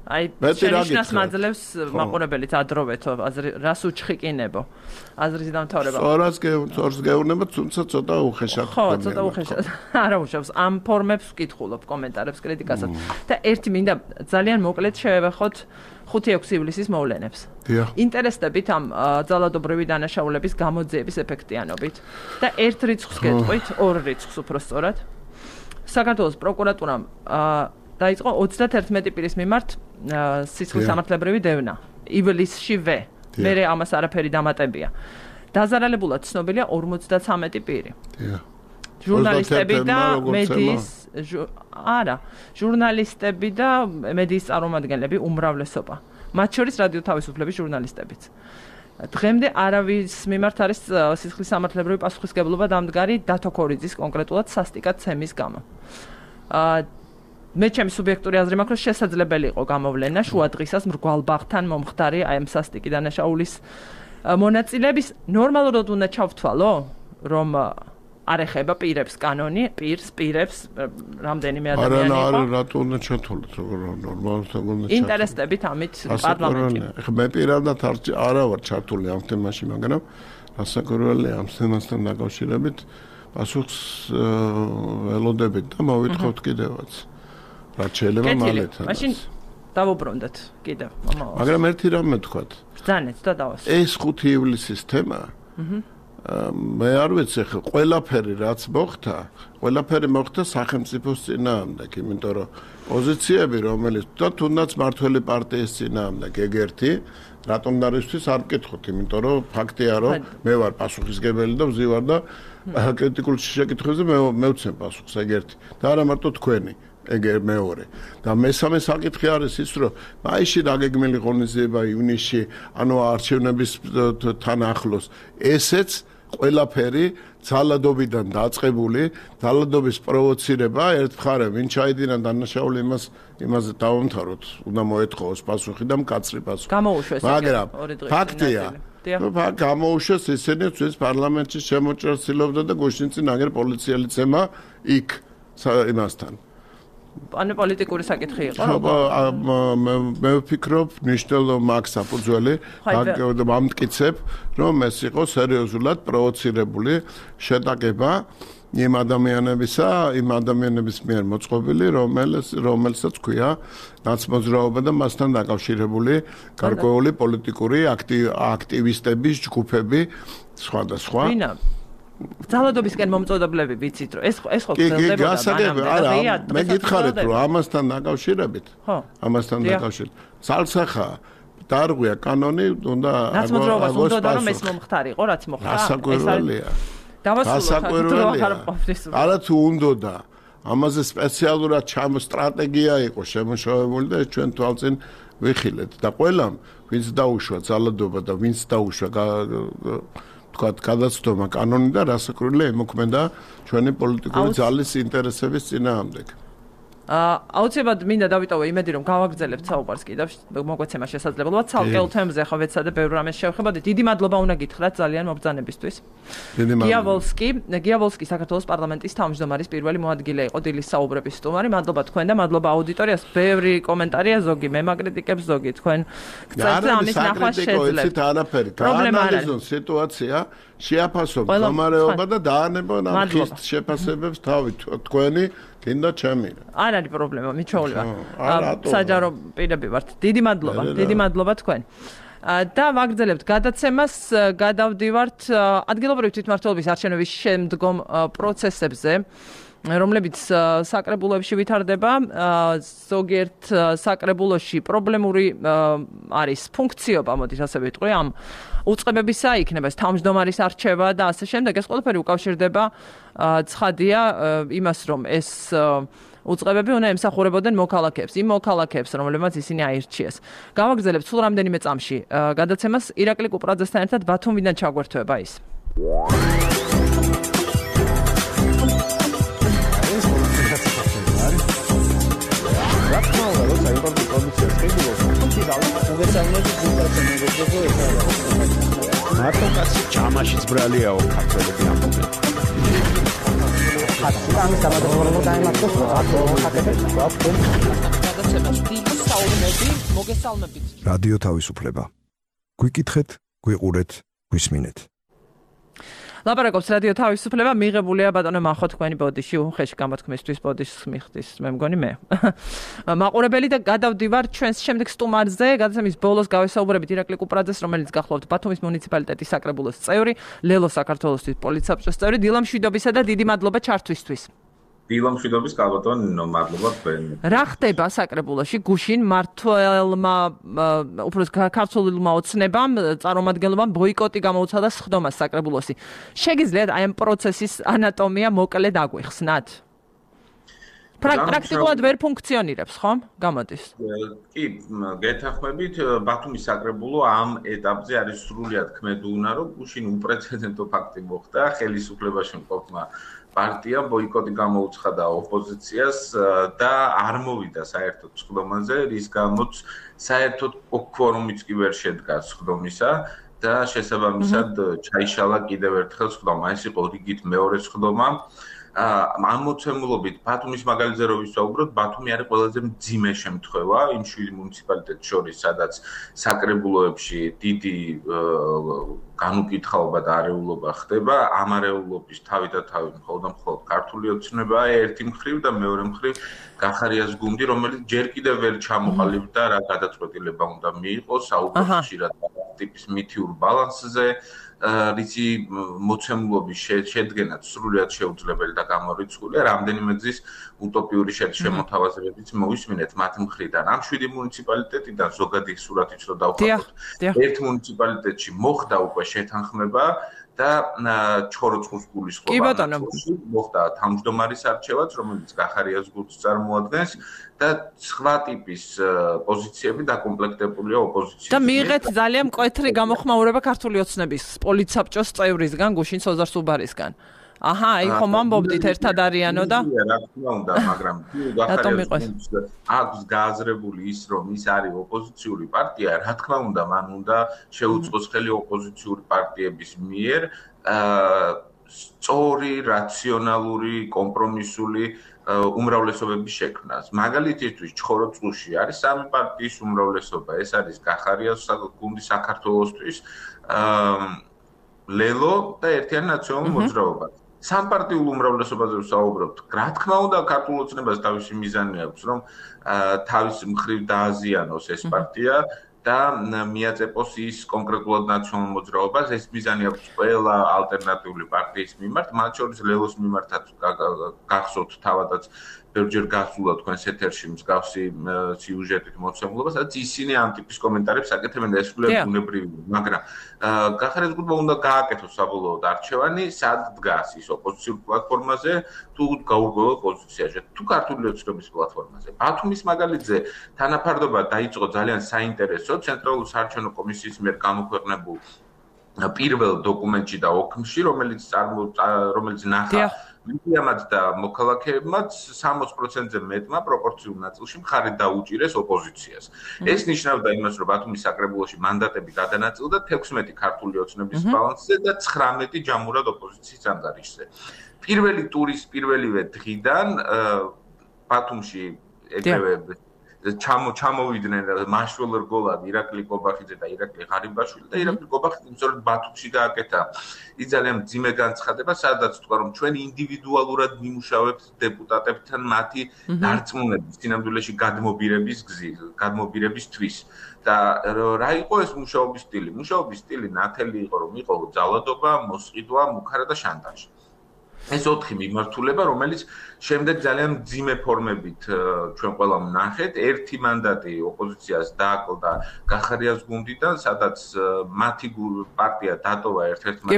აი შენიშნას მაძლევს მაყურებელით ადროვეთო რას უჩხიკინებო აზრის დამთავრება. სწორად სწორს გეუბნება, თუმცა ცოტა უხეშად. ხო, ცოტა უხეშად. არა უშავს ამ ფორმებს ვკითხულობ კომენტარებს, კრიტიკასაც. და ერთი მინდა ძალიან მოკლედ შევეხოთ ხუთი ექვსი ივლისის მოვლენებს. ინტერესდებით ამ ძალადობრივი დანაშაულების გამოძიების ეფექტიანობით და ერთ რიცხვს გეტყვით, ორ რიცხვს უფრო სწორად. საქართველოს პროკურატურამ დაიწყო ოცდაათერთმეტი პირის მიმართ სისხლის სამართლებრივი დევნა ივლისშივე. მერე ამას არაფერი დამატებია. დაზარალებულად ცნობილია ორმოცდათვრამეტი პირი. ჟურნალისტები და მედიის არა, ჟურნალისტები და მედიის წარმომადგენლები უმრავლესობა. მათ შორის რადიო თავისუფლების ჟურნალისტებიც. დღემდე არავის მიმართ არის სისხლის სამართლებრივი პასუხისგებლობა დამდგარი დათო ქორიძის კონკრეტულად სასტიკად ცემის გამო. მე ჩემი სუბიექტური აზრი მაქვს, რომ შესაძლებელი იყო გამოვლენა შუა დღისას მრგვალ ბაღთან მომხდარი აი ამ სასტიკი დანაშაულის მონაწილეების ნორმალურად უნდა ჩავთვალო, რომ არ ეხება პირებს კანონი, პირს, პირებს, რამდენიმე ადამიანი იყო. არა, არა, რატო უნდა ჩათვალოთ, როგორ ნორმალურად უნდა ჩათვალოთ. ინტერესდებით ამით პარლამენტში. მე პირადად არა ვარ ჩართული ამ თემაში, მაგრამ რასაკვირველია ამ თემასთან დაკავშირებით პასუხს ველოდებით და მოვითხოვთ კიდევაც. რაც შეიძლება მალეთან. მაშინ დავუბრუნდეთ კიდევ. მაგრამ ერთი რამ მეთქვათ. ბრძანეთ და დავასრულოთ. ეს ხუთი ივლისის თემა. აჰა. მე არ ვიცი ხა ყველაფერი რაც მოხდა, ყველაფერი მოხდა სახელმწიფოს წინააღმდეგ, იმიტომ რომ პოზიციები რომელიც და თუნდაც მართველი პარტიის წინააღმდეგ ეგერთი, რატომ დარისთვის არ ვკითხოთ, იმიტომ რომ ფაქტია რომ მე ვარ პასუხისგებელი და ვზივარ და კრიტიკულ შეკითხვებზე მე მევცემ პასუხს ეგერთი და არა მარტო თქვენი. ეგერ მეორე და მესამე საკითხი არის ის რომ მაისში დაგეგმილი ღონისძიება ივნისში ანუ არჩევნების თან ახლოს ესეც ყველაფერი ძალადობიდან დაწყებული ძალადობის პროვოცირება ერთ მხარე ვინ ჩაიდინა დანაშაული იმას იმაზე დავამთავროთ უნდა მოეთხოვოს პასუხი და მკაცრი პასუხი გამოუშვეს მაგრამ ფაქტია გამოუშვეს ისინი წეს პარლამენტში შემოჭრას ცდილობდა და გუშინ წინ აგერ პოლიციელი ცემა იქ იმასთან ანუ პოლიტიკური საკითხი იყო ხო მე ვფიქრობ ნიშნულო მაქვს საფუძველი ამტკიცებ რომ ეს იყო სერიოზულად პროვოცირებული შეტაკება იმ ადამიანებისა იმ ადამიანების მიერ მოწყობილი რომელიც რომელსაც ქვია ნაცმოძრაობა და მასთან დაკავშირებული გარკვეული პოლიტიკური აქტივისტების ჯგუფები სხვადასხვა ვინა ძალადობისკენ მომწოდებლები ვიცით რომ ეს ეს ხო გრძელდებოდა არა მე გითხარით რომ ამასთან დაკავშირებით ხო ამასთან დაკავშირებით ძალსახა დარღვია კანონი უნდა ნაცმოძრაობას უნდა რომ ეს მომხდარიყო რაც მოხდა ასაკვირველია დავასრულოთ არა თუ უნდა ამაზე სპეციალურად ჩამ სტრატეგია იყო შემოშოვებული და ჩვენ თვალწინ ვიხილეთ და ყველამ ვინც დაუშვა ძალადობა და ვინც დაუშვა თქვათ გადაცდომა კანონი და რასაკვირველია ემოქმედა ჩვენი პოლიტიკური ძალის ინტერესების წინააღმდეგ. აუცილებლად მინდა დავიტოვო იმედი რომ გავაგრძელებთ საუბარს კიდევ მოგვეცემა შესაძლებლობა ცალკეულ თემებზე ახლა ვეცადე ბევრ რამეს შევხედოთ. დიდი მადლობა უნდა გითხრათ ძალიან მობრძანებისთვის. გია ვოლსკი, გია ვოლსკი საქართველოს პარლამენტის თავმჯდომარის პირველი მოადგილე იყო დილის საუბრების სტუმარი. მადლობა თქვენ და მადლობა აუდიტორიას. ბევრი კომენტარია ზოგი მე მაკრიტიკებს ზოგი თქვენ გწევთ ამის ნახვა შეძლებთ. არაფერი გაანალიზონ სიტუაცია შეაფასოთ მდგომარეობა და დაანებონ ამ ხის შეფასებებს თავი თქვენი კიდე ჩემი. არ არის პრობლემა, მიჩვეული ვარ. საჯარო პირები ვართ. დიდი მადლობა, დიდი მადლობა თქვენ. და ვაგრძელებთ გადაცემას, გადავდივართ ადგილობრივი თვითმმართველობის არჩევნების შემდგომ პროცესებზე. რომლებიც საკრებულოებში ვითარდება, ზოგიერთ საკრებულოში პრობლემური არის ფუნქციობა, მოდით ასე ვიტყვი, ამ უწყებებისა იქნება ეს თავმჯდომარის არჩევა და ასე შემდეგ. ეს ყველაფერი უკავშირდება ცხადია იმას, რომ ეს უწყებები უნდა ემსახურებოდნენ მოქალაქეებს, იმ მოქალაქეებს, რომლებმაც ისინი აირჩიეს. გავაგრძელებთ სულ რამდენიმე წამში გადაცემას ირაკლი კუპრაძესთან ერთად ბათუმიდან ჩაგვერთვება ის. მარტო კაცი ჯამაშიც ბრალიაო ქართველები ამბობენ. ამის დამადროულობა დაემართოს რატო ხაკეთებს გვაქვს გადაცემას დიდი საუბნები მოგესალმებით. რადიო თავისუფლება. გვიკითხეთ, გვიყურეთ, გვისმინეთ. ლაპარაკობს რადიო თავისუფლება მიღებულია ბატონო მახო თქვენი ბოდიში უხეში გამოთქმისთვის ბოდიშს მიხდის მე მგონი მე მაყურებელი და გადავდივარ ჩვენს შემდეგ სტუმარზე გადაცემის ბოლოს გავესაუბრებით ირაკლი კუპრაძეს რომელიც გახლავთ ბათუმის მუნიციპალიტეტის საკრებულოს წევრი ლელო საქართველოსთვის პოლიცსაბჭოს წევრი დილა მშვიდობისა და დიდი მადლობა ჩართვისთვის. დილა მშვიდობის კალბატონ მადლობა თქვენ. რა ხდება საკრებულოში გუშინ მართლმა უბრალოდ ქართულმა ოცნებამ წარმომადგენლობამ ბოიკოტი გამოუცხადა სხდომას საკრებულოში. შეგიძლიათ აი ამ პროცესის ანატომია მოკლედ აგვიხსნათ? პრაქტიკულად ვერ ფუნქციონირებს, ხო? გამოდის. კი, გეთანხმებით, ბათუმის საკრებულო ამ ეტაპზე არის სრულიად ქმედუნა, რომ გუშინ უპრეცედენტო ფაქტი მოხდა, ხელისუფლებაში მყოფმა პარტია ბოიკოტი გამოუცხადა ოპოზიციას და არ მოვიდა საერთოდ სხდომაზე, რის გამოც საერთოდ კვორუმიც კი ვერ შედგა სხდომისა და შესაბამისად ჩაიშალა კიდევ ერთხელ სხდომა. ეს იყო რიგით მეორე სხდომა. ამ მოცემულობით ბათუმის მაგალითზე რო ვისაუბროთ, ბათუმი არის ყველაზე მძიმე შემთხვევა იმ შვიდი მუნიციპალიტეტს შორის, სადაც საკრებულოებში დიდი განუკითხაობა და არეულობა ხდება. ამ არეულობის თავი და თავი მხოლოდ და მხოლოდ ქართული ოცნებაა ერთი მხრივ და მეორე მხრივ გახარიას გუნდი, რომელიც ჯერ კიდევ ვერ ჩამოყალიბდა რა გადაწყვეტილება უნდა მიიღოს, საუბრობს ხშირად ტიპის მითიურ ბალანსზე. რიცი მოცემულობის შედგენაც სრულიად შეუძლებელი და გამორიცხულია, რამდენიმე ძის უტოპიური შემოთავაზებებიც მოვისმინეთ მათ მხრიდან. ამ შვიდი მუნიციპალიტეტიდან ზოგადი სურათიც რო დავხატოთ, ერთ მუნიციპალიტეტში მოხდა უკვე შეთანხმება და ჩხოროწყუს გულისხმობა მოხდა თავმჯდომარის არჩევაც, რომელიც გახარიას გუნდს წარმოადგენს და სხვა ტიპის პოზიციები დაკომპლექტებულია ოპოზიციით. და მიიღეთ ძალიან მკვეთრი გამოხმაურება ქართული ოცნების პოლიცსაბჭოს წევრისგან, გუშინ სოზარ სუბარისგან. აჰა, აი ხომ ამბობდით ერთად არიანო და რა თქმა უნდა, მაგრამ აქვს გააზრებული ის, რომ ის არის ოპოზიციური პარტია, რა თქმა უნდა, მან უნდა შეუწყოს ხელი ოპოზიციური პარტიების მიერ სწორი, რაციონალური, კომპრომისული უმრავლესობების შექმნას. მაგალითისთვის, ჩხოროწყუში არის სამი პარტიის უმრავლესობა, ეს არის გახარიას გუნდი საქართველოსთვის, ლელო და ერთიანი ნაციონალური მოძრაობა. სამპარტიულ უმრავლესობაზე ვსაუბრობთ. რა თქმა უნდა, ქართულ ოცნებას თავისი მიზანი აქვს, რომ თავის მხრივ დააზიანოს ეს პარტია და მიაწეპოს ის კონკრეტულად ნაციონალურ მოძრაობას. ეს მიზანი აქვს ყველა ალტერნატიული პარტიის მიმართ, მათ შორის ლელოს მიმართაც გახსოვთ თავადაც ბევრჯერ გასულა თქვენს ეთერში მსგავსი სიუჟეტით მოცემულობა, სადაც ისინი ამ ტიპის კომენტარებს აკეთებენ და ეს სრულიად ბუნებრივია, მაგრამ გახარიას გუნდმა უნდა გააკეთოს საბოლოოდ არჩევანი, სად დგას ის ოპოზიციურ პლატფორმაზე, თუ გაურკვეველ პოზიციაში, თუ ქართული ოცნების პლატფორმაზე. ბათუმის მაგალითზე თანაფარდობა დაიწყო ძალიან საინტერესო ცენტრალური საარჩევნო კომისიის მიერ გამოქვეყნებულ პირველ დოკუმენტში და ოქმში, რომელიც რომელიც ნახა მედიამაც და მოქალაქეებმაც სამოცი პროცენტზე მეტმა პროპორციულ ნაწილში მხარი დაუჭირეს ოპოზიციას. ეს ნიშნავდა იმას, რომ ბათუმის საკრებულოში მანდატები გადანაწილდა თექვსმეტი ქართული ოცნების ბალანსზე და ცხრამეტი ჯამურად ოპოზიციის ანგარიშზე. პირველი ტურის პირველივე დღიდან ბათუმში ეგრევე ჩამო ჩამოვიდნენ მაშველო რგოლად ირაკლი კობახიძე და ირაკლი ღარიბაშვილი და ირაკლი კობახიძე სწორედ ბათუმში გააკეთა ის ძალიან მძიმე განცხადება, სადაც თქვა, რომ ჩვენ ინდივიდუალურად ვიმუშავებთ დეპუტატებთან მათი დარწმუნების, სინამდვილეში გადმობირების გზით, გადმობირებისთვის. და რა იყო ეს მუშაობის სტილი? მუშაობის სტილი ნათელი იყო, რომ იყო ძალადობა, მოსყიდვა, მუქარა და შანტაჟი. ეს ოთხი მიმართულება, რომელიც შემდეგ ძალიან მძიმე ფორმებით ჩვენ ყველამ ვნახეთ. ერთი მანდატი ოპოზიციას დააკლდა გახარიას გუნდიდან, სადაც მათი პარტია დატოვა ერთ-ერთმა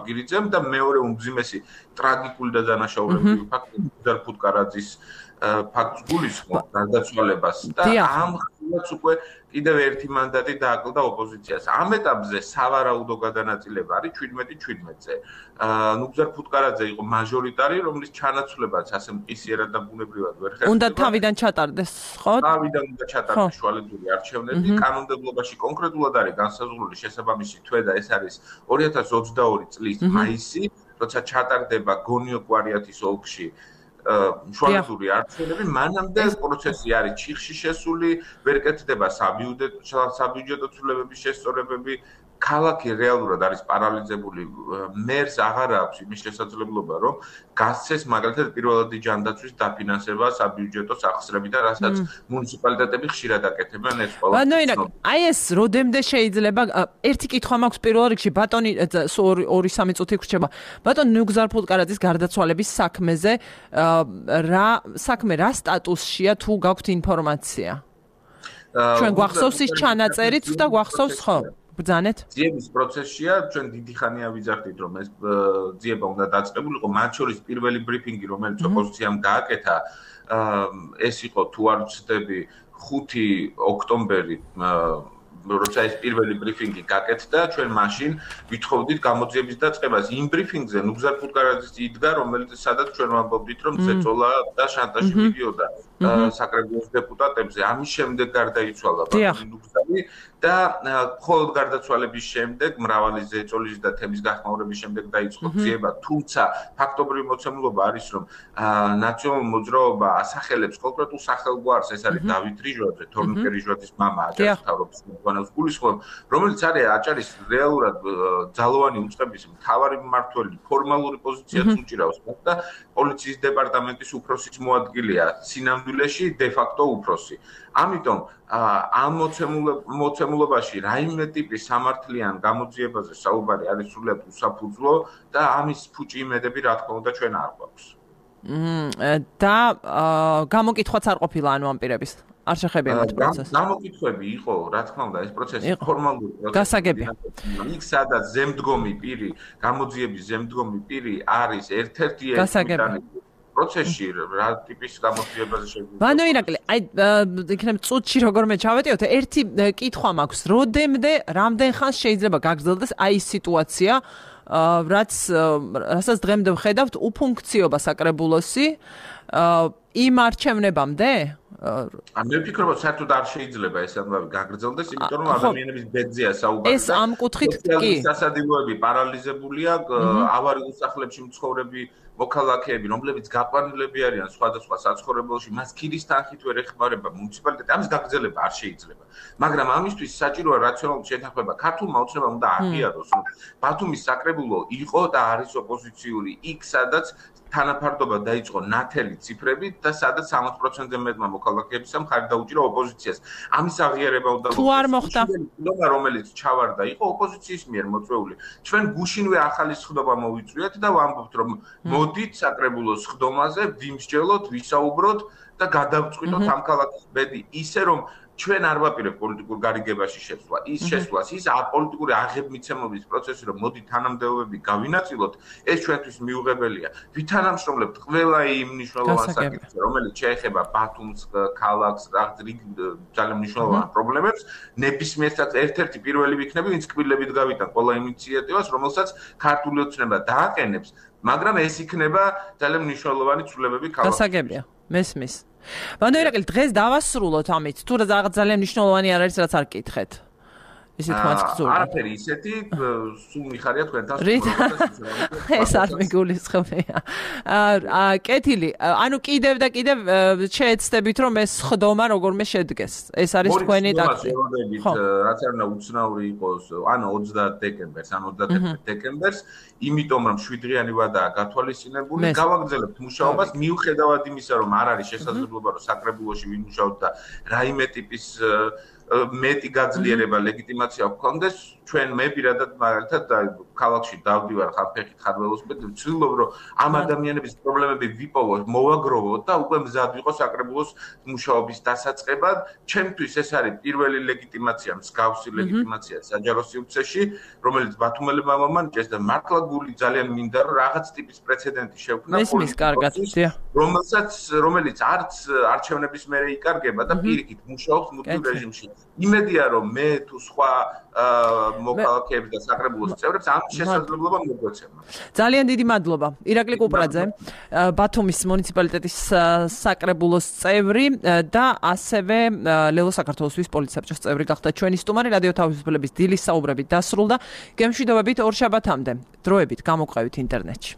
გირიძემ და მეორე უმძიმესი ტრაგიკული და დანაშაულებრივი ფაქტი მუხტარ ფუტკარაძის ფაქტს გულისხმობს გარდაცვალებას და ამ ხილაც უკვე კიდევ ერთი მანდატი დააკლდა ოპოზიციას. ამ ეტაპზე სავარაუდო გადანაწილება არის შვიდმეტი შვიდმეტზე. ნუგზარ ფუტკარაძე იყო მაჟორიტარი, რომლის ჩანაცვლებაც ასე მყისიერად და ბუნებრივად ვერ ხერხდება. უნდა თავიდან ჩატარდეს, ხო? თავიდან უნდა ჩატარდეს შუალედური არჩევნები. კანონმდებლობაში კონკრეტულად არის განსაზღვრული შესაბამისი თვე და ეს არის ორი ათას ოცდაორი წლის მაისი, როცა ჩატარდება გონიო კვარიათის ოლქში შუალედური არჩევნები, მანამდე პროცესი არის ჩიხში შესული, ვერ კეთდება საბიუჯეტო ცვლილებების შესწორებები, ქალაქი რეალურად არის პარალიზებული, მერს აღარ აქვს იმის შესაძლებლობა, რომ გასცეს მაგალითად პირველადი ჯანდაცვის დაფინანსება საბიუჯეტო სახსრებიდან, რასაც მუნიციპალიტეტები ხშირად აკეთებენ ეს ყველა. ბატონო, აი ეს როდემდე შეიძლება ერთი კითხვა მაქვს პირველ რიგში, ბატონი ორი სამი წუთი გრჩება. ბატონ ნუგზარ ფუტკარაძის გარდაცვალების საქმეზე რა საქმე რა სტატუსშია თუ გაქვთ ინფორმაცია? ჩვენ გვახსოვს ის ჩანაწერიც და გვახსოვს ხო? ბრძანეთ? ძიების პროცესია, ჩვენ დიდი ხანია ვიძახდით, რომ ეს ძიება უნდა დაწყებულიყო, მათ შორის პირველი ბრიფინგი, რომელიც ოპოზიციამ გააკეთა, ეს იყო თუ არ ვცდები ხუთი ოქტომბერი როცა ეს პირველი ბრიფინგი გაკეთდა, ჩვენ მაშინ ვითხოვდით გამოძიების დაწყებას. იმ ბრიფინგზე ნუგზარ ფუტკარაძის იდგა, რომელიც სადაც ჩვენ ვამბობდით, რომ ზეწოლა და შანტაჟი მიდიოდა საკრებულოს დეპუტატებზე. ამის შემდეგ გარდაიცვალა ბატონი ნუგზარი და მხოლოდ გარდაცვალების შემდეგ, მრავალი ზეწოლის და თემის გახმაურების შემდეგ დაიწყო ძიება. თუმცა ფაქტობრივი მოცემულობა არის, რომ ნაციონალურ მოძრაობა ასახელებს კონკრეტულ სახელგვარს, ეს არის დავით რიჟვაძე, თორნიკე რიჟვაძის მამა, აჭარის მთავრობის გულისხმობ, რომელიც არის აჭარის რეალურად ძალოვანი უწყების მთავარი მმართველი, ფორმალური პოზიციაც უჭირავს და პოლიციის დეპარტამენტის უფროსის მოადგილეა, სინამდვილეში დე ფაქტო უფროსი. ამიტომ ამ მოცემულობაში რაიმე ტიპის სამართლიან გამოძიებაზე საუბარი არის სრულიად უსაფუძვლო და ამის ფუჭი იმედები რა თქმა უნდა ჩვენ არ გვაქვს. და გამოკითხვაც არ ყოფილა ანუ ამ პირების არ შეხებია მათ პროცესს. გამოკითხვები იყო, რა თქმა უნდა, ეს პროცესი ფორმალური პროცესი. გასაგებია. იქ სადაც ზემდგომი პირი, გამოძიების ზემდგომი პირი არის ერთ-ერთი გასაგებია. პროცესში რა ტიპის გამოძიებაზე შეგვიძლია. ბანო ირაკლი, აი იქნებ წუთში როგორმე ჩავეტიოთ, ერთი კითხვა მაქვს, როდემდე, რამდენ ხანს შეიძლება გაგრძელდეს აი ეს სიტუაცია, რაც რასაც დღემდე ვხედავთ, უფუნქციობა საკრებულოსი იმ არჩევნებამდე? მე ვფიქრობ, რომ საერთოდ არ შეიძლება ეს ამბავი გაგრძელდეს, იმიტომ რომ ადამიანების ბედზეა საუბარი. ეს ამ კუთხით კი. სასადილოები პარალიზებულია, ავარიულ სახლებში მცხოვრები მოქალაქეები, რომლებიც გაყვანილები არიან სხვადასხვა საცხოვრებელში, მას ქირის თანხით ვერ ეხმარება მუნიციპალიტეტი, ამის გაგრძელება არ შეიძლება. მაგრამ ამისთვის საჭიროა რაციონალური შეთანხმება. ქართულმა ოცნებამ უნდა აღიაროს, რომ ბათუმის საკრებულო იყო და არის ოპოზიციური იქ, სადაც თანაფარდობა დაიწყო ნათელი ციფრებით და სადაც სამოც პროცენტზე მეტმა მოქალაქეებისა მხარი დაუჭირა ოპოზიციას. ამის აღიარება უნდა თუ არ მოხდა, რომელიც ჩავარდა, იყო ოპოზიციის მიერ მოწვეული. ჩვენ გუშინვე ახალი სხდომა მოვიწვიეთ და ვამბობთ, რომ მოდით საკრებულოს სხდომაზე ვიმსჯელოთ, ვისაუბროთ და გადავწყვიტოთ ამ ქალაქის ბედი ისე, რომ ჩვენ არ ვაპირებთ პოლიტიკურ გარიგებაში შეცვლა. ის შეცვლას, ის აპოლიტიკური აღებმიცემობის პროცესი, რომ მოდი თანამდებობები გავინაწილოთ, ეს ჩვენთვის მიუღებელია. ვითანამშრომლებთ ყველა იმ მნიშვნელოვან საკითხზე, რომელიც შეეხება ბათუმს, ქალაქს, ძალიან მნიშვნელოვან პრობლემებს, ნებისმიერ საკითხს ერთ-ერთი პირველი ვიქნები, ვინც კბილებით გავიტან ყველა ინიციატივას, რომელსაც ქართული ოცნება დააყენებს, მაგრამ ეს იქნება ძალიან მნიშვნელოვანი ცვლილებები ქალაქში. გასაგებია, მესმის. ბანო ირაკლი, დღეს დავასრულოთ ამით, თუ რაღაც ძალიან მნიშვნელოვანი არ არის, რაც არ გკითხეთ. ისეთ მაცგზური. არაფერი ისეთი, სულ მიხარია თქვენთან. ეს არ მიგულისხმია. აა კეთილი, ანუ კიდევ და კიდევ შეეცდებით, რომ ეს ხდომა როგორმე შედგეს. ეს არის თქვენი ტაქტიკა. რაც არ უნდა უცნაური იყოს, ანუ ოცდაათ დეკემბერს, ან ოცდაათერთმეტ დეკემბერს, იმიტომ რომ შვიდღიანი ვადაა გათვალისწინებული, გავაგრძელებთ მუშაობას, მიუხედავად იმისა, რომ არ არის შესაძლებლობა, რომ საკრებულოში ვიმუშაოთ და რაიმე ტიპის მეტი გაძლიერება ლეგიტიმაცია გქონდეს, ჩვენ მე პირადად მაგალითად ქალაქში დავდივარ ხალხით ხარველოსპედ, ვცდილობ რომ ამ ადამიანების პრობლემები ვიპოვოთ, მოვაგროვოთ და უკვე მზად ვიყო საკრებულოს მუშაობის დასაწყებად. ჩემთვის ეს არის პირველი ლეგიტიმაცია, მსგავსი ლეგიტიმაცია საჯარო სივრცეში, რომელიც ბათუმელებმა მომანიჭეს და მართლა გული ძალიან მინდა რომ რაღაც ტიპის პრეცედენტი შევქმნა პოლიტიკოსის, რომელსაც რომელიც არც არჩევნების მერე იკარგება და პირიქით მუშაობს მუდმივ რეჟიმში. იმედია რომ მე თუ სხვა მოქალაქეებს და საკრებულოს წევრებს ამ შესაძლებლობა მოგვეცემა. ძალიან დიდი მადლობა. ირაკლი კუპრაძე, ბათუმის მუნიციპალიტეტის საკრებულოს წევრი და ასევე ლელო საქართველოსთვის პოლიცსაბჭოს წევრი გახდა ჩვენი სტუმარი. რადიო თავისუფლების დილის საუბრებით დასრულდა. გემშვიდობებით ორ შაბათამდე. დროებით გამოყევით ინტერნეტში.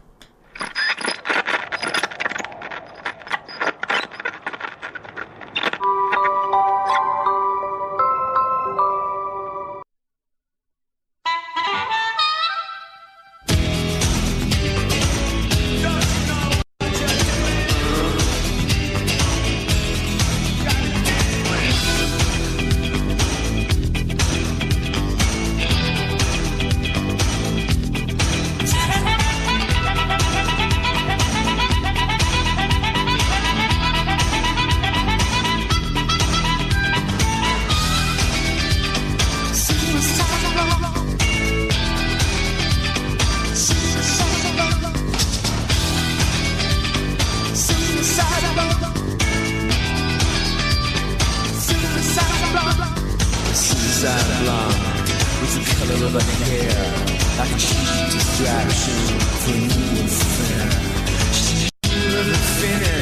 is the color of her hair, like a cheap distraction for you and fair. She's the finish.